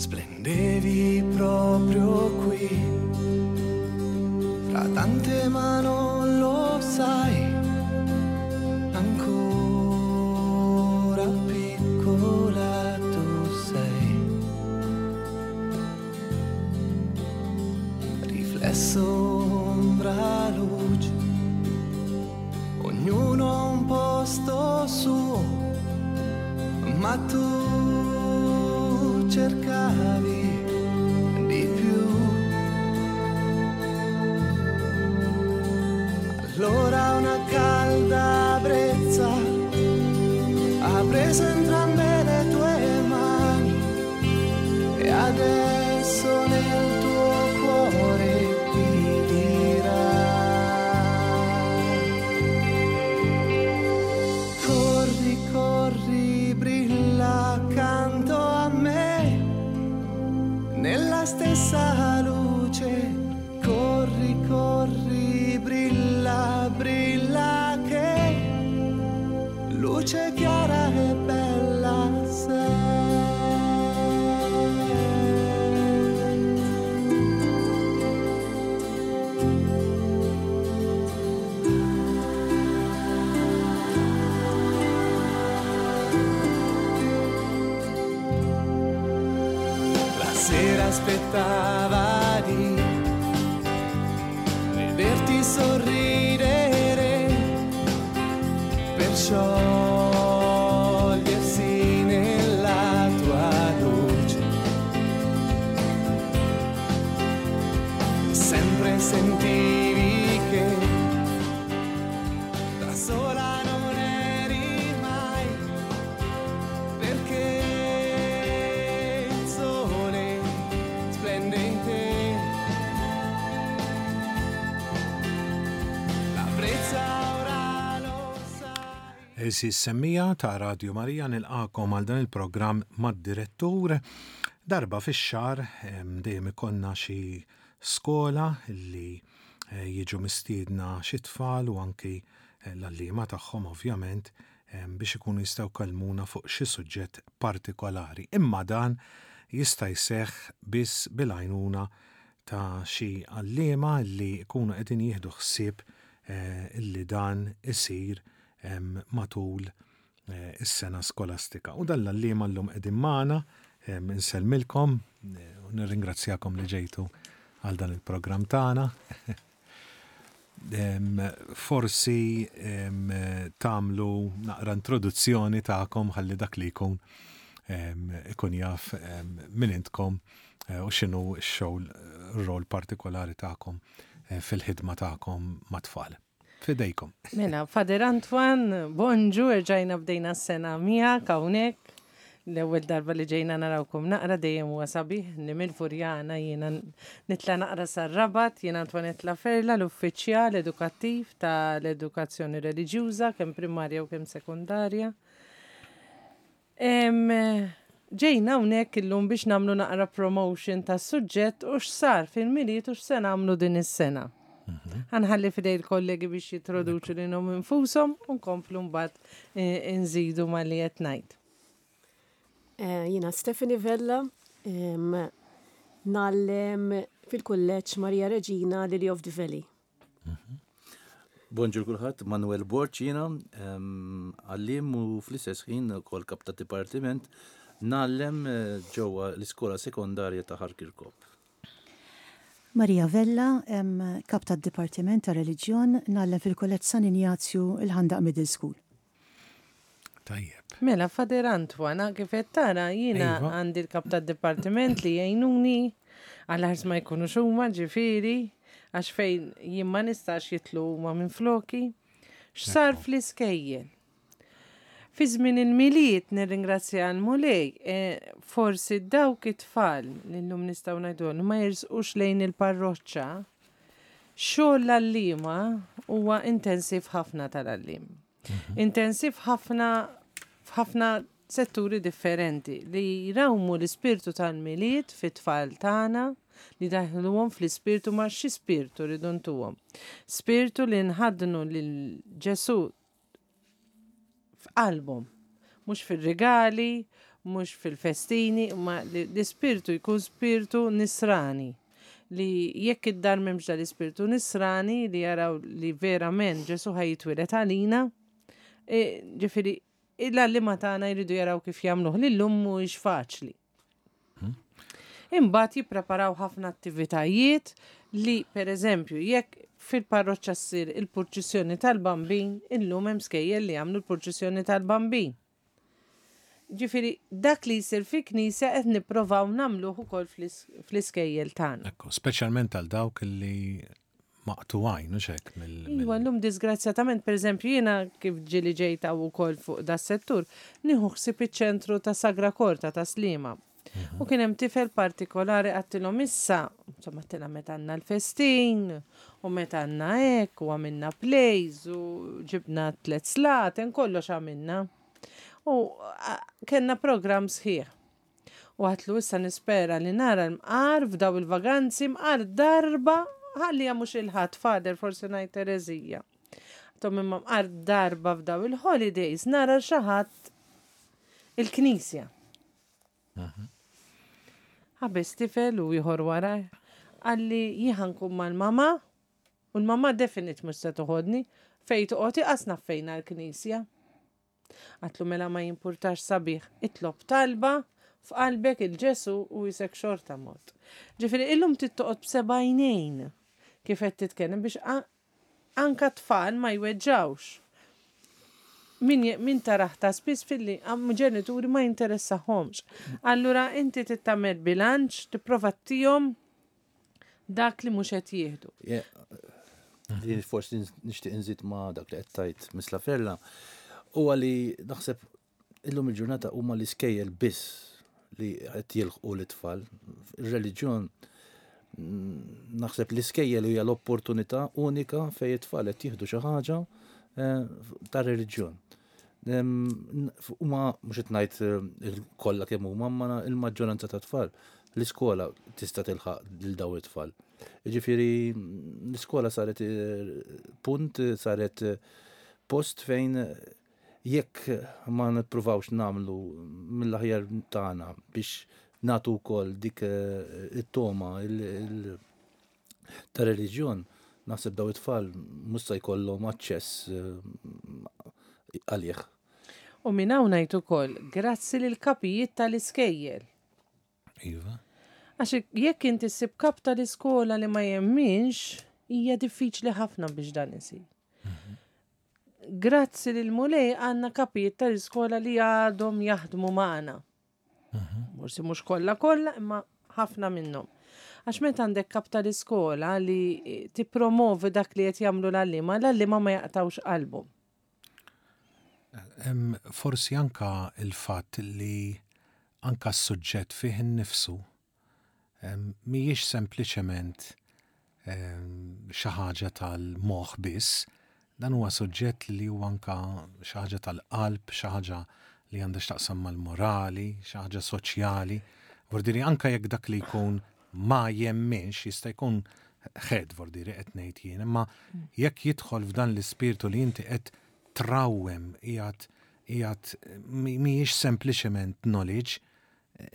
Splendevi proprio qui, fra tante ma non lo sai, ancora piccola tu sei. Riflesso, ombra, luce, ognuno ha un posto suo, ma tu cercavi di più. Allora una calda brezza ha preso entrambe le tue mani e adesso nel tuo cuore ti dirà. Corri, corri, brilla accanto a me, nella stessa luce. Corri, corri, brilla, brilla che luce chiara e bella sei. La sera aspettava di vederti sorridere per sciogliersi nella tua luce. Sempre sentivi che da sola non eri mai, perché il sole splende in te. La brezza ora lo sai. Għeżież semmiegħa ta' Radju Marija nilqagħkom għal dan il-programm mad-direttur. Darba fix-xahar dejjem ikollna xi skola li eh, jiġu mistiedna xi tfal u anki eh, l-għalliema tagħhom ovvjament biex ikunu jistgħu jkellmuna fuq xi suġġett partikolari. Imma dan jista' jseħħ biss bil-għajnuna ta' xi għalliema li jkunu qegħdin jieħdu ħsieb eh, li dan isir matul eh, is-sena skolastika. U dan l-għalliema llum qegħdin magħna, insellmilkom eh, u nirringrazzjakom li ġejtu għal dan il-programm tagħna. Forsi tagħmlu naqra introduzzjoni tagħkom ħalli dak li jkun ikun jaf min intkom eh, u x'inhu x-xogħol rol partikolari tagħkom eh, fil-ħidma tagħkom mat-tfal. Fidejkom. Mela, Fader Antoine, bonġu, erġajna bdejna s-sena miegħek hawnhekk. L-ewwel darba li ġejna narawkom naqra dejjem huwa sabiħ li mill-Furjana jiena nitla' naqra sar-Rabat, jiena Antoinette Laferla, l-uffiċjal edukattiv tal-edukazzjoni reliġjuża kemm primarja u kemm sekondarja. Ġejna hawnhekk illum biex nagħmlu naqra promotion tas-suġġett u x'sar fil-Milied u x'se nagħmlu din is-sena. Mhm. Ħanħalli fidej il-kollegi biex jintroduċu lilhom infushom u nkomplu mbagħad eh, nżidu ma li qed ngħid. Eh, jiena Stephanie Vella, ngħallem fil-kulleġġ Maria Reġina Lily of the Valley. Bonġur kulħadd, Manuel Borg jiena, għalliem u fl-istess ħin ukoll kap ta' dipartiment ngħallem eh, ġewwa l-iskola sekondarja ta' Ħal Kirkop. Maria Vella, kap tad-Dipartiment ta' Reliġjon, ngħallem fil-Kulleġġ San Injazju il-Ħandaq Middle School. Tajjeb. Mela, Fader Antoine, kif qed tara, jiena iva. għandi l-kap tad-dipartiment li jgħinuni għal ħars ma jkunux huma ġifieri, għax fejn jien ma nistax jitlu huma minn floki. X'sar fl-iskejjel? Fi żmien il-Milied nirringrazzja l-Mulej, eh, forsi dawk it-tfal li llum nistgħu ngħidu ma jirsqux lejn il-parroċċa, xogħol l-għalliema huwa intensiv ħafna tal-għalliem. Mhm. Intensiv ħafna f'ħafna setturi differenti li jrawmu l-ispirtu tal-Milied fit-tfal tagħna li daħluhom fl-ispirtu ma xi spirtu rridu ntuhom. Spirtu li nħaddnu lil Ġesù f'qalbhom, mhux fir-rigali, mhux fil-festini, imma li l-ispirtu jkun spirtu nisrani. Li jekk id-dar m'hemmx dal-ispirtu nisrani li jaraw li verament Ġesù ħa jitwieled għalina, e, ġifieri l-għalliema tagħna jridu jaraw kif jagħmluh li llum mhuwiex faċli. Imbagħad jippreparaw ħafna attivitajiet li pereżempju jekk fil-parroċċa ssir il-purċissjoni tal-Bambin, illum hemm skejjel li jagħmlu l-purċissjoni tal-Bambin. Ġifieri dak li jsir fi knisja qed nipprovaw nagħmluh ukoll fl-iskejjel tagħna. Ekku, speċjalment għal dawk li maqtugħin, hux hekk mill. Iva, llum disgrazzjatament, pereżempju jiena kif ġieli ġejt hawn ukoll fuq das-settur, nieħu ħsieb iċ-ċentru ta' Sagra Korta ta' Sliema. U kien hemm tifel partikolari għattilhom issa, insomma għattilha meta għandna l-festin, u meta għandna hekk, u għamilna plays, u ġibna tlet slaten, kollox għamilna. U kellna programm sħiħ. U għatlu issa nispera li nara l-mqar f'daw il-vaganzi mqar darba ħalli mhux il-ħadd fader forsi ngħid Terezija. Tom imma mqar darba f'daw il-holidays nara xi ħadd il-knisja. Ħabes tifel u ieħor wara qalli jien nkun mal-mama u l-mama definit mhux se toħodni fejn toqgħod iqas naf fejn l-knisja. Għatlu mela ma jimpurtax sabiħ, itlob talba f'qalbek il-Ġesu u jisek xorta mod. Ġifieri illum tittoqgħod b'seba' għajnejn kif qed titkellem biex anka tfal ma jweġġawx. Min, min taraħ ta' spiss filli ġenituri ma jinteressahomx. Allura inti tittamel bilanċ, tipprova tihom dak li mhux qed jieħdu. Li forsi nixtieq nżid ma' dak li qed tgħid Miss Laferla huwa li naħseb illum il-ġurnata huma l-iskejjel biss li qed jilħqu l-itfal. Ir-reliġjon naħseb l-iskejjel hija l-opportunità unika fejn it-tfal qed jieħdu xi ħaġa eh, ta' reliġjon. Huma mhux qed ngħid eh, kollha kemm huma, ma il-maġġoranza ta' tfal l-iskola tista' tilħaq lil daw it-tfal. Jiġifieri l-iskola saret eh, punt, saret eh, post fejn jekk ma nippruvawx nagħmlu mill-aħjar tagħna biex nagħtu wkoll dik it-toma ta' reliġjon, naħseb daw it-tfal mhux se jkollhom aċċess eh, għalih. U minn hawn ngħid ukoll grazzi lil kapijiet tal-iskejjel. Iva. Għax jekk inti ssib kap tal-iskola li ma jemminx, hija diffiċli ħafna biex dan isir. Mhm. Grazzi lil Mulej għandna kapijiet tal-iskola li għadhom jaħdmu magħna. Forsi mhux kollha kollha, imma ħafna minnhom. Għax meta għandek kap tal-iskola li tippromovi dak li qed jagħmlu l-għalliema, l-għalliema ma jaqtawx qalbhom. Forsi anka il-fatt li anka s-suġġett fih innifsu mhijiex sempliċement xi ħaġa tal-moħħ biss, dan huwa suġġett li huwa anka xi ħaġa tal-qalb, xi ħaġa li għandha x'taqsam mal-morali, xi ħaġa soċjali. Vordiri anka jekk dak li jkun ma jemminx jista' jkun ħed vordiri qed ngħid jien, imma jekk jidħol f'dan l-ispirtu li inti qed trawwem qiegħed qiegħed mhijiex sempliċement knowledge,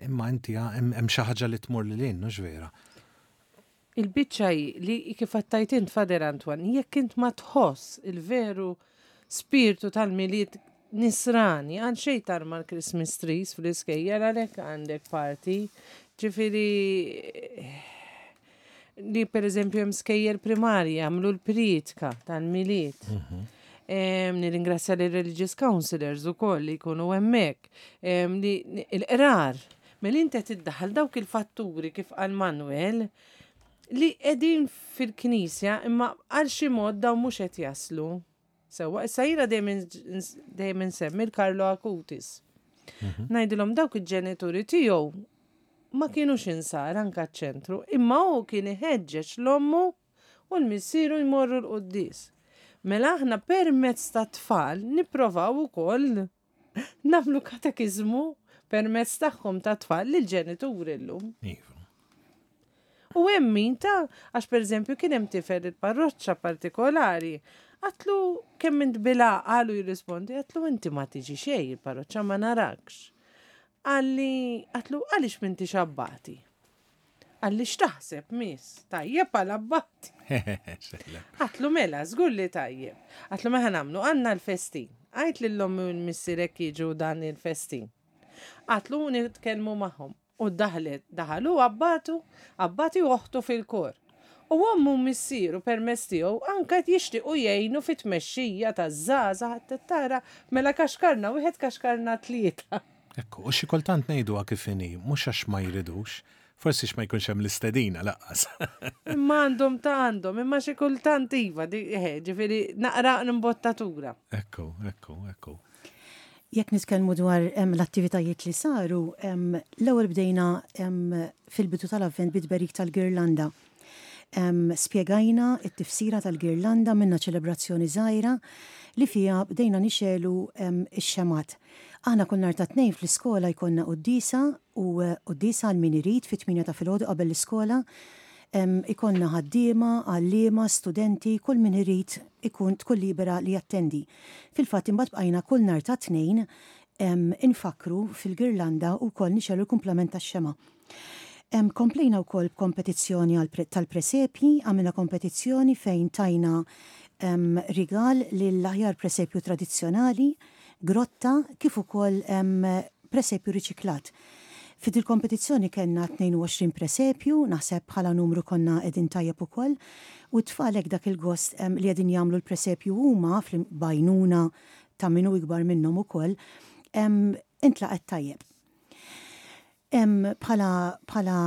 Imma inti hemm xi ħaġa li tmur lil hinn, hux vera? Il-biċċa hi li kif għattajt int Fader Antoine, jekk int ma tħoss il-veru spirtu tal-Milied nisrani, għal xejn tarma l-Christmas trees fl-iskejjel għalhekk għandek party. Ġifieri li per eżempju hemm skejjel primarji jagħmlu l-prietka tal-Milied. Mhm. Nirringrazzja lir religious counselors ukoll li jkunu hemmhekk. Li l-qrar, mela inti qed iddaħħal dawk il-fatturi kif qal Manuel li qegħdin fil-knisja imma għal xi mod dawn mhux qed jaslu. Sewwa, issa jiena dejjem insemmi l-Carlo Acutis. Mhm. Ngħidilhom dawk il-ġenituri tiegħu ma kienux insara anka ċ-ċentru, imma hu kien iħeġġeġ l-ommu u l-missieru jmorru l-quddies. Mela aħna permezz tat-tfal nipprovaw ukoll nagħmlu katekiżmu permezz tagħhom tat-tfal lill-ġenituri llum. Iva. U hemm min ta' għax pereżempju kien hemm tifel il-parroċċa partikolari, għatlu kemm int bil-għaqal u jirrispondi, għatlu inti ma tiġi xejn il-parroċċa ma narakx. Qalli, għatlu għaliex m'intix abbati? Qalli x'taħseb miss? Tajjeb għal abbati. Għatlu mela, żgur li tajjeb. Għatlu mela nagħmlu għandna l-festin. Għajt lil ommi u l-missierek jiġu dan il-festin. Għatlu nitkellmu magħhom. U daħlet, daħalu abbatu, abbati u oħtu fil-kor. U ommu u missieru permezz tiegħu anke qed jixtiequ jgħinu fit-tmexxija taż-żgħażagħ qed tara mela kaxkarna wieħed kaxkarna tlieta. Ekku, u xi kultant ngħiduha kif inhi, mhux għax ma jridux, forsi għax ma jkunx hemm l-istedina lanqas. Imma għandhom ta' għandhom, imma xi kultant iva, eħe, ġifieri naqra imbottatura. Ekku, ekku, ekku. Jekk nitkellmu dwar l-attivitajiet li saru, l-ewwel bdejna fil-bidu tal-Avvent bit-tberik tal-girlanda. Spjegajna t-tifsira tal-girlanda, għamilna ċelebrazzjoni żgħira li fiha bdejna nixegħlu x-xemgħat. Aħna kull nhar ta' Tnejn fl-iskola jkollna quddiesa u quddiesa għal min irid fit-tmienja ta' filgħodu qabel l-iskola. Ikollna ħaddiema, għalliema, studenti, kull min irid ikun tkun libera li jattendi. Fil-fatt imbagħad bqajna kull nhar ta' Tnejn infakkru fil-girlanda u wkoll nixegħlu l-kumplament tax-xemgħa. Komplejna wkoll b'kompetizzjoni tal-presepji, għamilna kompetizzjoni fejn tajna rigal lill-aħjar presepju tradizzjonali, grotta kif ukoll presepju riċiklat. F'dil-kompetizzjoni kellna 22 presepju, naħseb bħala numru konna qegħdin tajjeb ukoll, u t-tfal hekk dak il-gost li qegħdin jagħmlu l-presepju huma b'għajnuna ta' min hu ikbar minnhom ukoll, intlaqgħet tajjeb. Bħala bħala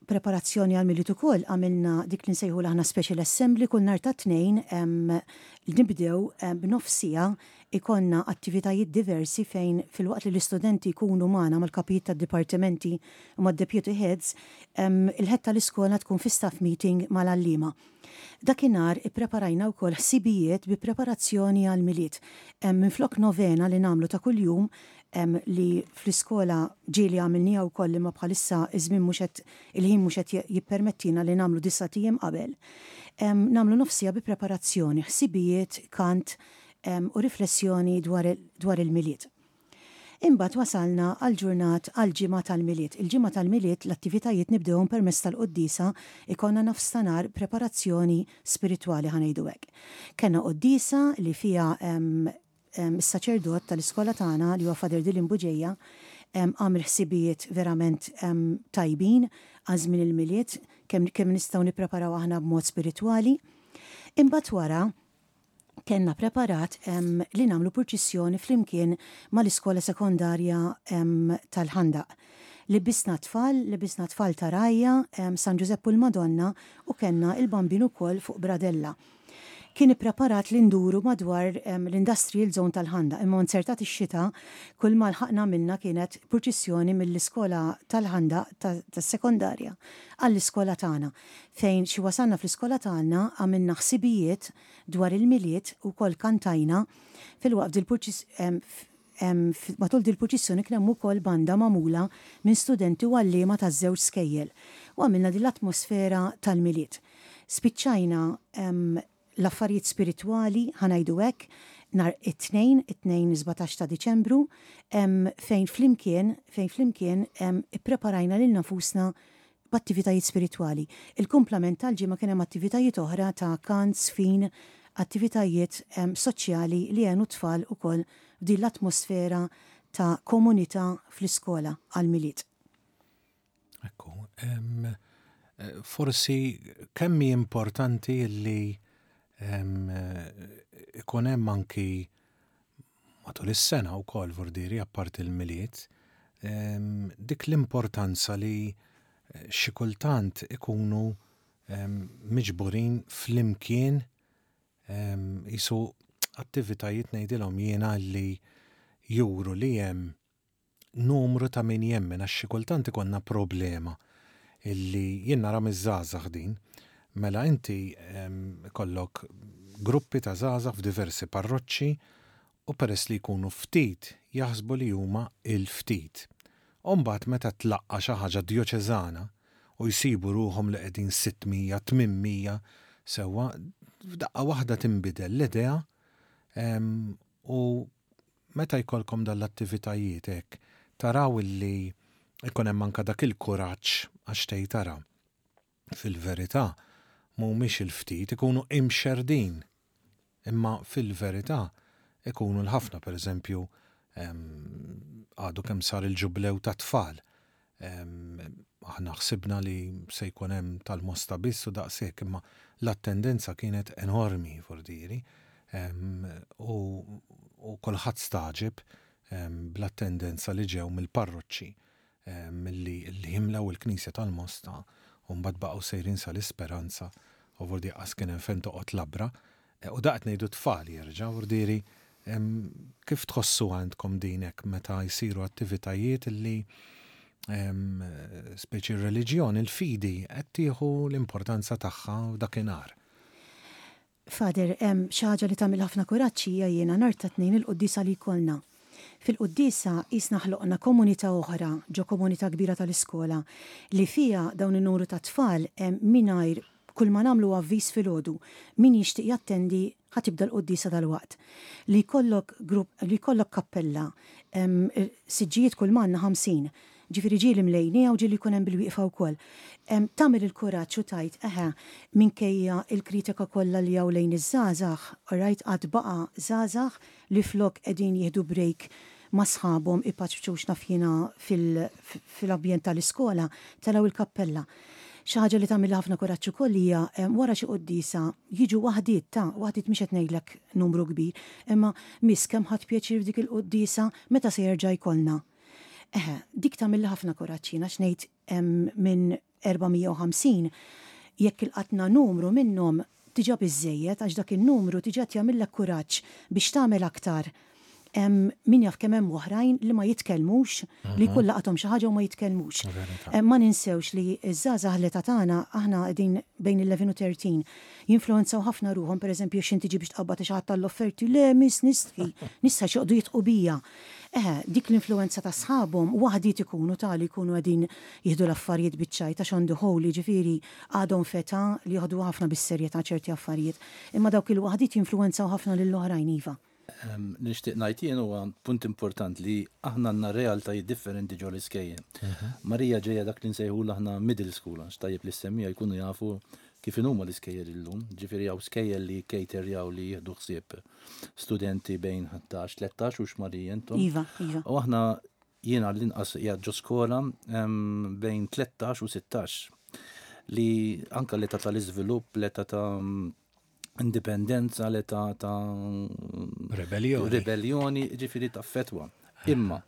preparazzjoni għall-Milied ukoll għamilna dik li nsejħulha aħna special assembly kull nhar ta' Tnejn nibdew b'nofs siegħa ikollna attivitajiet diversi fejn filwaqt li l-istudenti jkunu magħna mal-kapijiet tad-dipartimenti u mad-deputy heads, il-head tal-iskola tkun fi staff meeting mal-għalliema. Dakinhar ippreparajna wkoll ħsibijiet bi preparazzjoni għall-Milied. Minflok novena li nagħmlu ta' kuljum, li fl-iskola ġieli għamilniha wkoll imma bħalissa ż-żmien mhux qed il-ħin mhux qed jippermettina li nagħmlu disat ijiem qabel, nagħmlu nofs siegħa bi preparazzjoni, ħsibijiet, kant u riflessjoni dwar dwar il-Milied. Imbagħad wasalna għall-ġurnat għall-ġimgħa tal-Milied. Il-ġimgħa tal-Milied l-attivitajiet nibdewhom permezz tal-quddiesa, ikollna nofstanhar preparazzjoni spiritwali ħa ngħidu hekk. Kellna quddiesa li fiha is-saċerdot tal-iskola tagħna li huwa Father Dylan Bugeja għamel ħsibijiet verament tajbin għal żmien il-Milied kemm kemm nistgħu nippreparaw aħna b'mod spiritwali. Imbagħad wara kellna preparat li nagħmlu purċissjoni flimkien mal-iskola sekondarja tal-Ħandaq. Libbisna t-tfal, libbisna tfal ta' rgħajja, San Ġużepp u l-Madonna u kellna l-Bambin ukoll fuq bradella. Kien ippreparat li nduru madwar l-industrial zone tal-Ħandaq imma nzertat ix-xita kull ma lħaqna għamilna kienet purċissjoni mill-iskola tal-Ħandaq tas-sekondarja għall-iskola tagħna fejn xi wasalna fl-iskola tagħna għamilna ħsibijiet dwar il-Milied u wkoll kantajna filwaqt matul dil-purċissjoni kien hemm ukoll banda magħmula minn studenti u għalliema taż-żewġ skejjel u għamilna din l-atmosfera tal-Milied. Spiċċajna l-affarijiet spiritwali, ħa ngħidu hekk, nhar it-Tnejn, it-Tnejn 17 ta' Diċembru, fejn flimkien, fejn flimkien ippreparajna lilna nfusna b'attivitajiet spiritwali. Il-kumplament tal-ġimgħa kien hemm attivitajiet oħra ta' kant, żfin, attivitajiet soċjali li għenu t-tfal ukoll f'din l-atmosfera ta' komunità fl-iskola għall-Milied. Ekku, forsi kemm hi importanti li ikun hemm anki matul is-sena wkoll vordiri apparti l-Milied, dik l-importanza li xi kultant ikunu miġburin flimkien qisu attivitajiet ngħidilhom jiena li juru li hemm numru ta' min jemmen għax xi kultant ikollna problema illi jien nara miż-żgħażagħ din. Mela inti ikollok gruppi ta' żgħażagħ f'diversi parroċċi u peress li jkunu ftit jaħsbu li huma il-ftit. U mbagħad meta tlaqqa' xi ħaġa djoċeżana u jsibu ruħhom li qegħdin 600, 800 sewwa, f'daqqa waħda tinbidel l-idea u Meta jkollkom dan l-attivitajiet hekk, Taraw illi ikun hemm anke dak il-kuraġġ għax tgħid ara, fil-verità mhumiex il-ftit, ikunu imxerrdin, imma fil-verità ikunu l-ħafna, pereżempju għadu kemm sar il-ġublew tat-tfal, Aħna ħsibna li se jkun hemm tal-Mosta biss u daqshekk, imma l-attendenza kienet enormi Fordieri u kulħadd stagħġeb bl-attendenza li ġew mill-parroċċi milli jimlew il-knisja tal-Mosta u mbagħad baqgħu sejrin sal-Isperanza u Fordieri qas kien hemm fejn toqgħod labra. U da qed ngħidu tfal jerġa' Fordieri Kif tħossuha intkom din hekk meta jsiru attivitajiet li speċi r-reliġjon, il-fidi qed tieħu l-importanza tagħha dakinhar? Father, xi ħaġa li tagħmel ħafna kuraġġ hija jiena nhar ta' Tnejn il-quddiesa li jkollna. Fil-quddiesa qisna ħloqna komunità oħra ġo komunità kbira tal-iskola li fiha dawn in-numru ta' tfal mingħajr Kull ma nagħmlu huwa avviż filgħodu, min jixtieq jattendi ħa tibda l-quddiesa dalwaqt. Li jkollok grupp, li jkollok kappella, siġġijiet kull ma għandna 50. Ġifieri ġieli mlejniha u ġieli jkun hemm bil-wieqfa wkoll. Tagħmel il-kuraġġ u tgħid, eħe, minkejja l-kritika kollha li hawn lejn iż-żgħażagħ, alright, għad baqa' żgħażagħ li flok qegħdin jieħdu break ma' sħabhom ipaċpċu x'naf jiena fil-ambjent tal-iskola, telgħu l-kappella. Xi ħaġa li tagħmilli ħafna kuraġġ ukoll hija wara xi quddiesa jiġu waħdiet ta' waħdiet mhix qed ngħidlek numru kbir, imma miss kemm ħadt pjaċir f'dik il-quddiesa meta se jerġa' jkollna. Eħe, dik tagħmilli ħafna kuraġġ jien għax ngħid minn 450 jekk ilqatna numru minnhom diġà biżżejjed għax dak in-numru diġà qed jagħmillek kuraġġ biex tagħmel aktar. Min jaf kemm hemm oħrajn li ma jitkellmux, li jkun laqathom xi ħaġa u ma jitkellmux. Ma ninsewx li ż-żgħażagħ l-età tagħna aħna qegħdin bejn il-11 u 13 jinfluwenzaw ħafna ruħhom, pereżempju x'inti ġi biex tqabbad xi ħadd tal-offerti, le miss nistħi, nistħi għax joqogħdu jidħqu bija. Eħe, dik l-influwenza ta' sħabhom waħdiet ikunu ta' li jkunu qegħdin jieħdu l-affarijiet biċ-ċajt għax on the whole jiġifieri għadhom f'età li joħduha ħafna bis-serjetà ċerti affarijiet. Imma dawk il-waħdiet jinfluwenzaw ħafna lill-oħrajn iva. Li nixtieq ngħid jien huwa punt important li aħna għandna realtajiet differenti ġo l-iskejjel. Marija ġejja dak li nsejħulu aħna middle school, għax tajjeb li ssemmija jkunu jafu kif inhuma l-iskejjel illum. Ġifieri hawn skejjel li jkejterjaw li jieħdu ħsieb studenti bejn 11, 13 u x'Marija intom. Iva, iva. U aħna jiena l-inqas qiegħed ġo skola bejn 13 u 16 li anka l-età tal-iżvilupp, l-età ta' indipendenza, l-età ta' Rebellioni. Rebellioni, ġifiri ta' fetwa. Imma,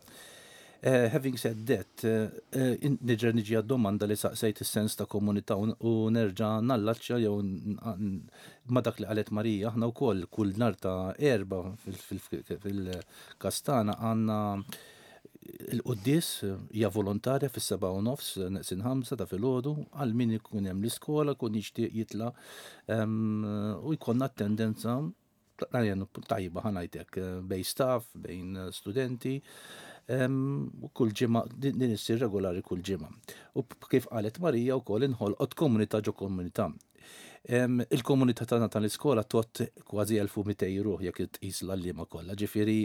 eh, having said that, eh, eh, nerġa' niġi għad-domanda li saqsejt is-sens ta' komunità u nerġa' nallaċċja jew ma' dak li qalet Marija, aħna wkoll kull nhar ta' Erbgħa fil-Kastana għandna Il-quddies hija volontarja fis-7:30 neqsin 5 ta' filgħodu għal min ikun hemm l-iskola jkun jixtieq jitla' u jkollna attendenza tajba ħa ngħid hekk bejn staff, bejn studenti u kull ġimgħa din issir regolari kull ġimgħa. U kif qalet Marija wkoll inħolqot komunità ġo komunità. Il-komunità tagħna tal-iskola tot kważi 1200 ruħ jekk tqis l-għalliema kollha. Ġifieri,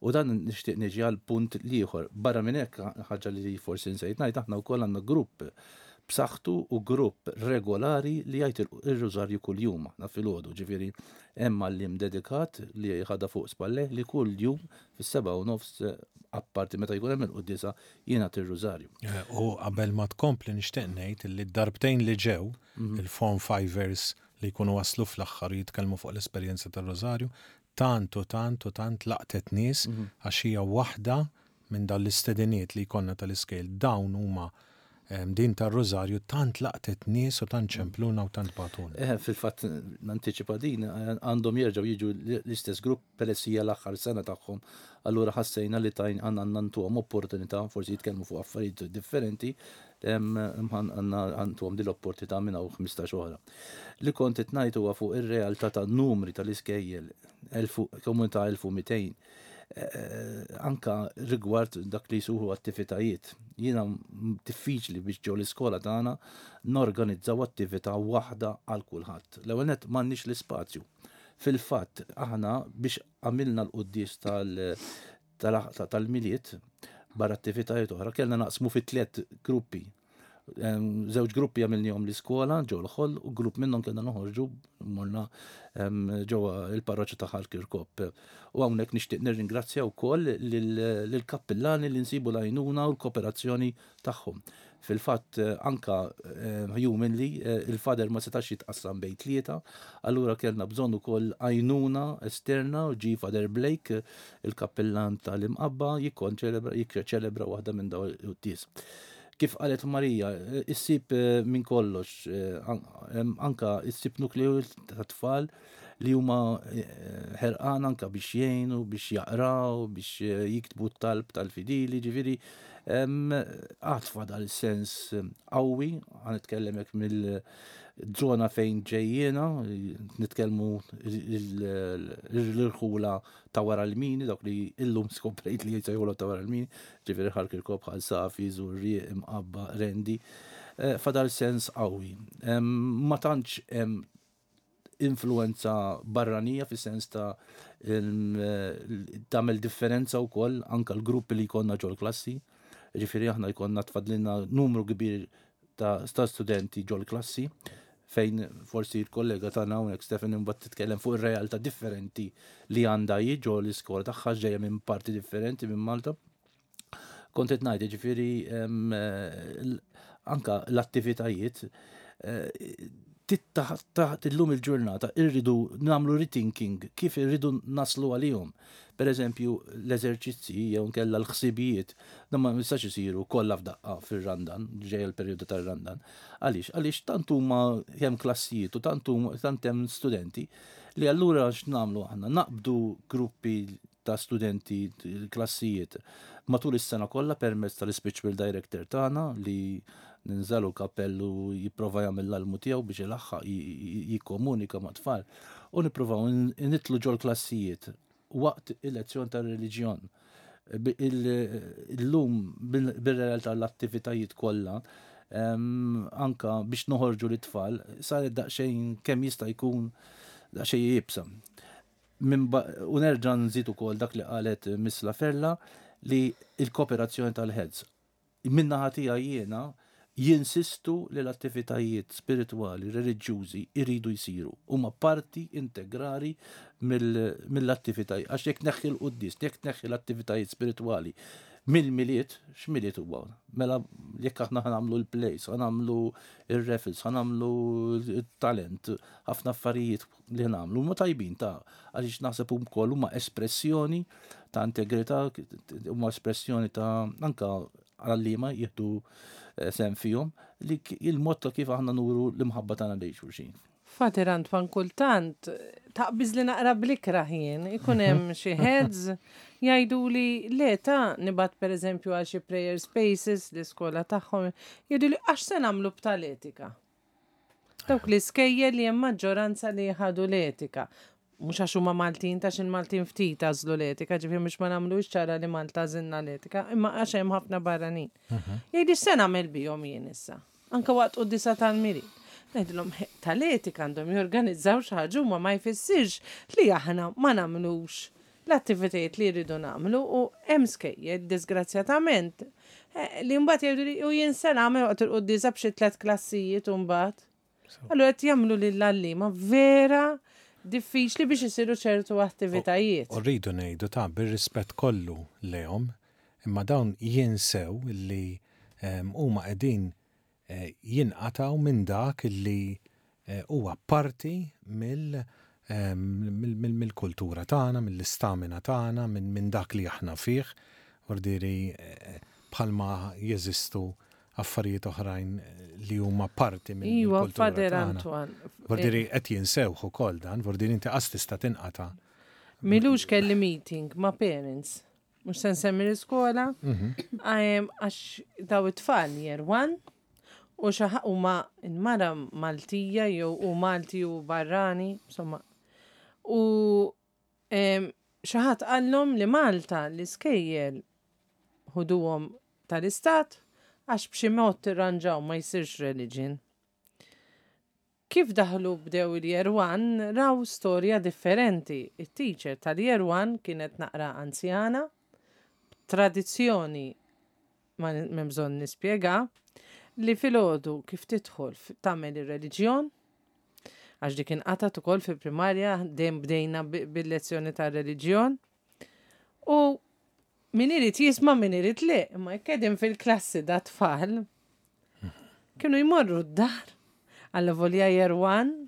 u dan nixtieq niġi għal punt l-ieħor. Barra minn hekk, ħaġa li forsi nsejt ngħid, aħna wkoll għandna grupp b'saħħtu u grupp regolari li jgħid ir-rużarju kuljum aħna filgħodu. Ġifieri hemm għalliem dedikat li ħadha fuq spallejh li kuljum fis-7:30 apparti meta jkun hemm il-quddiesa jingħad ir-rużarju. U qabel ma tkompli nixtieq ngħid li d-darbtejn li ġew il-Form Fivers li jkunu waslu fl-aħħar u jitkellmu fuq l-esperjenza tar-Rużarju, tant u tant u tant laqtet nies għax hija waħda minn dawn l-istediniet li jkollna tal-iskejjel. Dawn huma din tar-Rużarju tant laqtet nies u tant ċempluna u tant bagħtulna. Eħe, fil-fatt nantiċipa din, għandhom jerġgħu jiġu l-istess grupp peress hija l-aħħar sena tagħhom, allura ħassejna li tajn għandna ntuhom opportunità, forsi jitkellmu fuq affarijiet differenti, għandna ntuhom din l-opportunità minn hawn 15 oħra. Li kont qed ngħid huwa fuq ir-realtà ta' numri tal-iskejjel, komunità 1200, eh, anka rigward dak li jsuħu attivitajiet. Jiena diffiċli biex ġo l-iskola tagħna norganizzaw attività waħda għal kulħadd. L-ewwel nett m'għandniex l-ispazju. Fil-fatt, aħna biex għamilna l-quddies tal-Milied, Barra attivitajiet oħra, kellna naqsmu fi tliet gruppi. Żewġ gruppi għamilnihom l-iskola ġo l-ħoll u grupp minnhom kellna noħorġu morna ġewwa il-parroċċa ta' Ħal Kirkop. U hawnhekk nixtieq nirringrazzja wkoll lill-kappillani li nsibu l-għajnuna u l-kooperazzjoni tagħhom. Fil-fatt anka humanly il-father ma setax jitqassam bejn tlieta, allura kellna bżonn ukoll għajnuna esterna u ġie Father Blake, il-kappillan tal-Imqabba, jikkonċelebra jikċelebra waħda minn dawn il-quddies. Kif qalet Marija, issib minn kollox, anka issib nukleu ta' tfal li huma ħerqan anka biex jgħinu, biex jaqraw, biex jiktbu t-talb tal-fidili, ġifieri għad fadal sens qawwi, ħa nitkellem hekk mill-żona fejn ġejjiena, nitkellmu l-irħula ta' wara l-mini, dawk li illum skoprejt li jsejħulhom ta' wara l-mini, ġifieri Ħal Kirkop, Ħal Safi, Żurrieq, Imqabba, Qrendi, fadal sens qawwi. Ma tantx hemm influenza barranija fis-sens ta' tagħmel differenza wkoll anke l-gruppi li jkollna ġol-klassi. Ġifieri aħna jkollna tfadlilna numru kbir ta' studenti ġol-klassi fejn forsi l-kollega tagħna hawnhekk Stephen imbagħad titkellem fuq ir-realtà differenti li għandha hi ġo l-iskola tagħha ġejja minn parti differenti minn Malta. Kont qed ngħid, ġifieri anka l-attivitajiet taħt illum il-ġurnata irridu nagħmlu rethinking kif irridu naslu għalihom. Per eżempju, l-eżerċizzi jew nkella l-ħsibijiet, dan ma jistax isiru kollha f'daqqa fir-Randan, ġej il-perjodu tar-Randan. Għaliex? Għaliex tant huma hemm klassijiet u tant tant hemm studenti li allura x'nagħmlu aħna? Naqbdu gruppi ta' studenti klassijiet matul is-sena kollha permezz tal-spiritual director tagħna li ninżalu kappellu jipprova jagħmel l-almu tiegħu biex ilaħħaq jikkomunika ma' tfal u nippruvaw nitlu ġol klassijiet waqt il-lezzjon tar-reliġjon. Illum bil-realtà l-attivitajiet kollha anka biex noħorġu l-tfal saret daqsxejn kemm jista' jkun daqsxejn iebsa. U nerġa' nżid ukoll dak li qalet Miss Laferla li l-kooperazzjoni tal-heads. Min-naħa tiegħi jiena jinsistu li l-attivitajiet spiritwali, reliġjużi jridu jsiru. Huma parti integrali mill-attivitajiet. Għax jekk tneħħi l-quddies, jekk tneħħi l-attivitajiet spiritwali mill-Milied, x'Milied huwa? Mela jekk aħna ħa nagħmlu l-plays, ħa nagħmlu r-raffles, ħa nagħmlu t-talent, ħafna affarijiet li nagħmlu huma tajbin ta' għaliex naħseb ukoll huma espressjoni ta' integrità, huma espressjoni ta' anka għalliema jieħdu eh, sem fihom li il-mod ta' kif aħna nuru l-imħabba tagħna lejn xulxin. Fater Antwan kultant taqbiż li naqra blikra jien, ikun hemm xi heads jgħidu li le ta' nibgħat pereżempju għal xi prayer spaces l-iskola tagħhom, jgħidu li għax se nagħmlu b'tal-etika. Dawk l-iskejjel li hemm maġġoranza li ħadu l-etika. Mhux għax huma Maltin, ta' il-Maltin ftit għażlu l-etika, ġifieri mhux ma nagħmlux ċara li Malta għażilna l-etika, imma għax hemm ħafna barranin. Jgħidi x'se nagħmel bihom jien issa? Anke waqt quddiesa tal-Milied. Ngħidilhom tal-etika għandhom jorganizzaw xi ħaġa huma ma jfissirx li aħna ma nagħmlux l-attivitajiet li jridu nagħmlu u hemm skejjel disgrazzjatament eh, li mbagħad jgħidu li u jien se nagħmel waqt il-quddiesa b'xi tliet klassijiet u mbagħad. Allura qed jagħmlu lill-għalliema vera diffiċli biex isiru ċertu attivitajiet. U rridu ngħidu ta' bir-rispett kollu lejhom, imma dawn jinsew li ehm, huma qegħdin jinqatgħu minn dak li huwa parti mill-kultura tagħna, mill-istamina tagħna, minn dak li aħna fih. Vuol bħalma jeżistu affarijiet oħrajn li huma parti mill-kultura tagħna. Vuol qed jinsewh ukoll dan, vuol inti qas tista' tinqata'. M'ilux kelli meeting ma' parents Mhux se nsemmi l-iskola, mhm. għax daw it-tfal year one u xaħ huma mara Maltija jew u Malti u barrani, insomma. U xi ħadd qallhom li Malta l-iskejjel ħuduhom tal-istat għax b'xi mod tirranġaw ma jsirx religion. Kif daħlu bdew il-Year One raw storja differenti. It-teacher tal-Year One kienet naqra anzjana, b'tradizzjoni ma m'hemm bżonn nispjega, li filgħodu kif tidħol tagħmel ir-reliġjon, għax dik inqatgħet ukoll fil-primarja, dejjem bdejna bil-lezzjoni tar-reliġjon. U min irid jisma' min irid le, imma jekk qegħdin fil-klassi da tfal, kienu jmorru d-dar għalla volja year one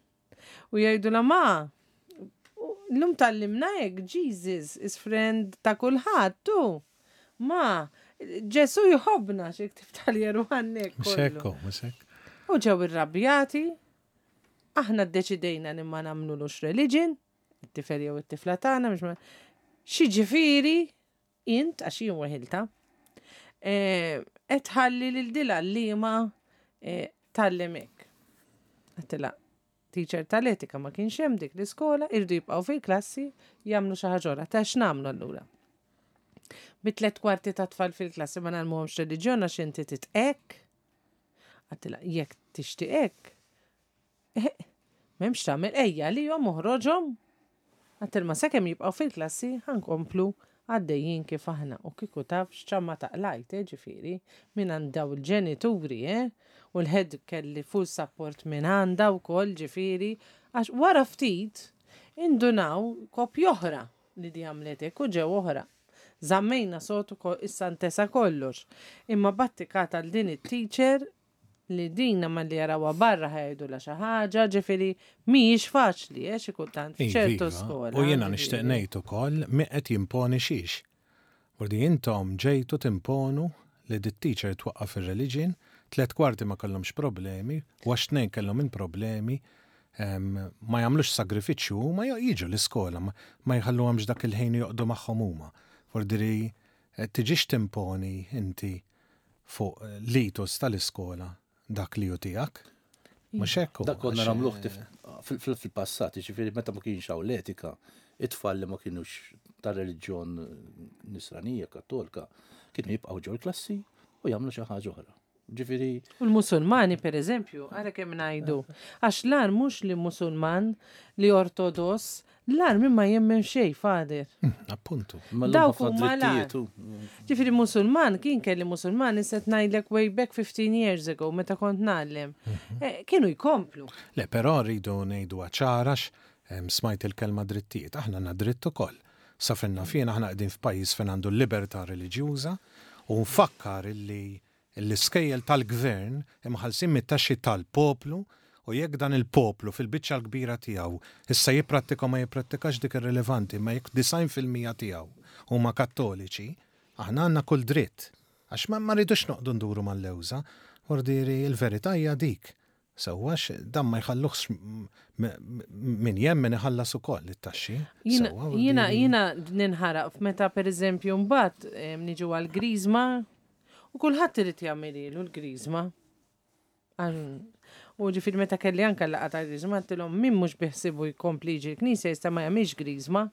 u jgħidulha ma, llum tgħallimna hekk, Jesus is friend ta' kulħadd tu. Ma, Ġesu jħobbna xi ktib tal-year one hekk. Mhux hekk, mhux hekk. U ġew irrabjati, aħna ddeċidejna li ma nagħmlulux religion, it-tifel jew it-tifla tagħna biex ma xi ġifieri int għax jien weħilta eh, qed tħalli lil dil għalliema eh, tgħallem hekk. Għedtilha teacher tal-etika ma kienx hemm dik l-iskola, irdu jibqgħu fil-klassi jagħmlu xi ħaġa oħra. Ta' x'nagħmlu allura? Bi tlet kwarti ta' tfal fil-klassi ma nagħmluhomx reliġjon għax inti titqek. Għedtilha jekk tixtieq hekk, M'hemmx tagħmel ejja għalihom oħroġhom. Għedtilma sakemm jibqgħu fil-klassi ħa nkomplu għaddejjin kif aħna u kieku taf x'ċamma ta' qlajt, eh, ġifieri, mingħand daw il-ġenituri, eh, u l-head kelli full support minn għandha wkoll ġifieri, għax wara ftit indunaw koppji oħra li di għamlet hekk u ġew oħra. Żammejna sod ukoll issa ntesa kollox. Imma battikat għal din it-teacher li dina malli jarawha barra ħa jgħidulha xi ħaġa, ġifieri mhijiex faċli, eh, xi kultant f'ċertu skola. U jiena nixtieq ngħid ukoll min qed jimponi xiex. Vordi intom ġejtu timponu li dit-teacher twaqqaf ir-religion, tlett kwarti ma kellhomx problemi, u għax tnejn kellhom il-problemi, ma jagħmlux sagrifiċċju huma jiġu l-iskola, ma jħalluhomx dak il-ħin joqogħdu magħhom huma. Vordi tiġix timponi inti fuq l-ethos tal-iskola dak li hu tiegħek. Mhux hekk Dak konna nagħmluh fil-passat, jiġifieri meta ma kienx hawn l-etika, it-tfal li ma kinux ta' reliġjon nisranija, kattolika, kienu jibqgħu ġol-klassi u jagħmlu xi ħaġa oħra. Ġifieri. U l-Musulmani, per eżempju, ara kemm ngħidu, għax l-agħar mhux li Musulman, li Ortodoss, l-agħar min ma jemmen xejn, Father. Appuntu. Dawk huma l-agħar. Ġifieri Musulman, kien kelli Musulman, issa qed ngħidlek way back 15 years ago meta kont ngħallem. Kienu jkomplu. Le, però rridu ngħiduha ċara għax smajt il-kelma drittijiet. Aħna għandna dritt ukoll. Sa fejn naf jien aħna qegħdin f'pajjiż fejn għandu l-libertà reliġjuża u nfakkar illi L-iskejjel tal-gvern imħallsin mit-taxxi tal-poplu u jekk dan il-poplu fil-biċċa l-kbira tiegħu issa jipprattika u ma jipprattikax dik irrilevanti imma jekk 90% tiegħu huma Kattoliċi, aħna għandna kull dritt għax ma rridux noqogħdu nduru mal-lewża, vordieri l-verità hija dik. Sewwa għax dan ma jħalluhx min jemmen iħallas ukoll it-taxxi. Sewwa. Jiena jiena ninħaraq meta pereżempju mbagħad niġu għall-griżma u kulħadd irid jagħmililu l-griżma. U ġifieri meta kelli anke l-laqgħa tal-griżma għedtilhom min mhux biħsiebu jkompli jiġi l-knisja jista' ma jagħmilx griżma.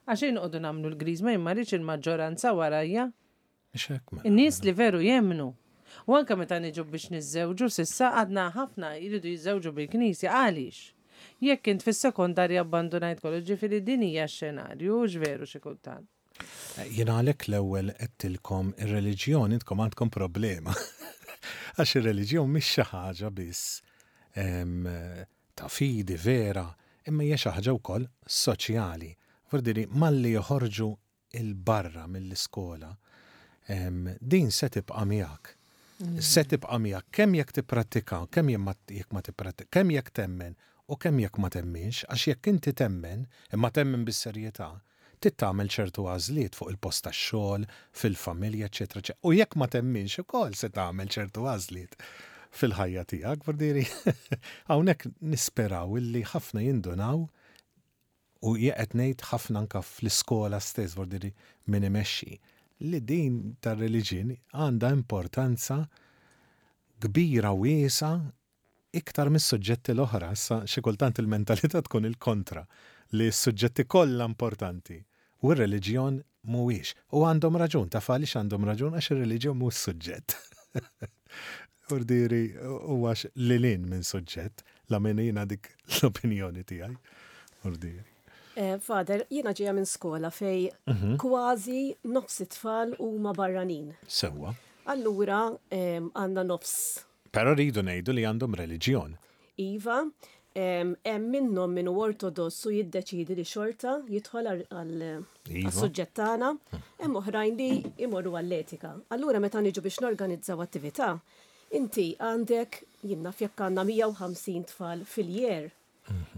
Għax inqogħdu nagħmlu l-griżma jien ma rridx il-maġġoranza warajja. In-nies li veru jemmnu. U anke meta niġu biex niżżewġu s'issa għadna ħafna jridu jiżżewġu bil-knisja. Għaliex? Jekk int fis-sekondarja abbandunajt kollox, ġifieri din hija x-xenarju, hux veru xi kultant. Jiena għalhekk l-ewwel għedtilkom ir-reliġjon intkom għandkom problema. Għax ir-reliġjon mhix xi ħaġa biss ta' fidi vera, imma hija xi ħaġa wkoll soċjali. Vuol malli joħorġu 'il barra mill-iskola, din se tibqa' miegħek. Se tibqa' miegħek kemm jekk tipprattika, kemm jekk ma tipprattika, kemm jekk temmen u kemm jekk ma temminx, għax jekk inti temmen, imma temmen bis-serjetà, trid tagħmel ċertu għażliet fuq il-post tax-xogħol, fil-familja, eċċetera eċċetera. U jekk ma temminx ukoll se tagħmel ċertu għażliet fil-ħajja tiegħek, vuol hawnhekk nisperaw illi ħafna jindunaw u jien qed ngħid ħafna anke fl-iskola stess, vuol dire min imexxi, li din tar-reliġjon għandha importanza kbira wiesgħa iktar mis-suġġetti l-oħra. Issa xi kultant il-mentalità tkun il-kontra, li s-suġġetti kollha importanti u r-reliġjon mhuwiex. U għandhom raġun, taf għaliex għandhom raġun? Għax ir-reliġjon mhux suġġett. Urdieri huwa lil hinn minn suġġett, la minn jiena dik l-opinjoni tiegħi. Urdieri. Eh, Father, jiena ġejja minn skola fej mhm. kważi nofs it-tfal huma barranin. Sewwa. Allura għandna nofs. Però rridu ngħidu li għandhom reliġjon. Iva, hemm minnhom min hu ortodoss u jiddeċiedi li xorta jidħol għas-suġġett tagħna, hemm oħrajn li jmorru għall-etika. Allura meta niġu biex norganizzaw attività, inti għandek, jien naf jekk għandna 150 tfal fil-year,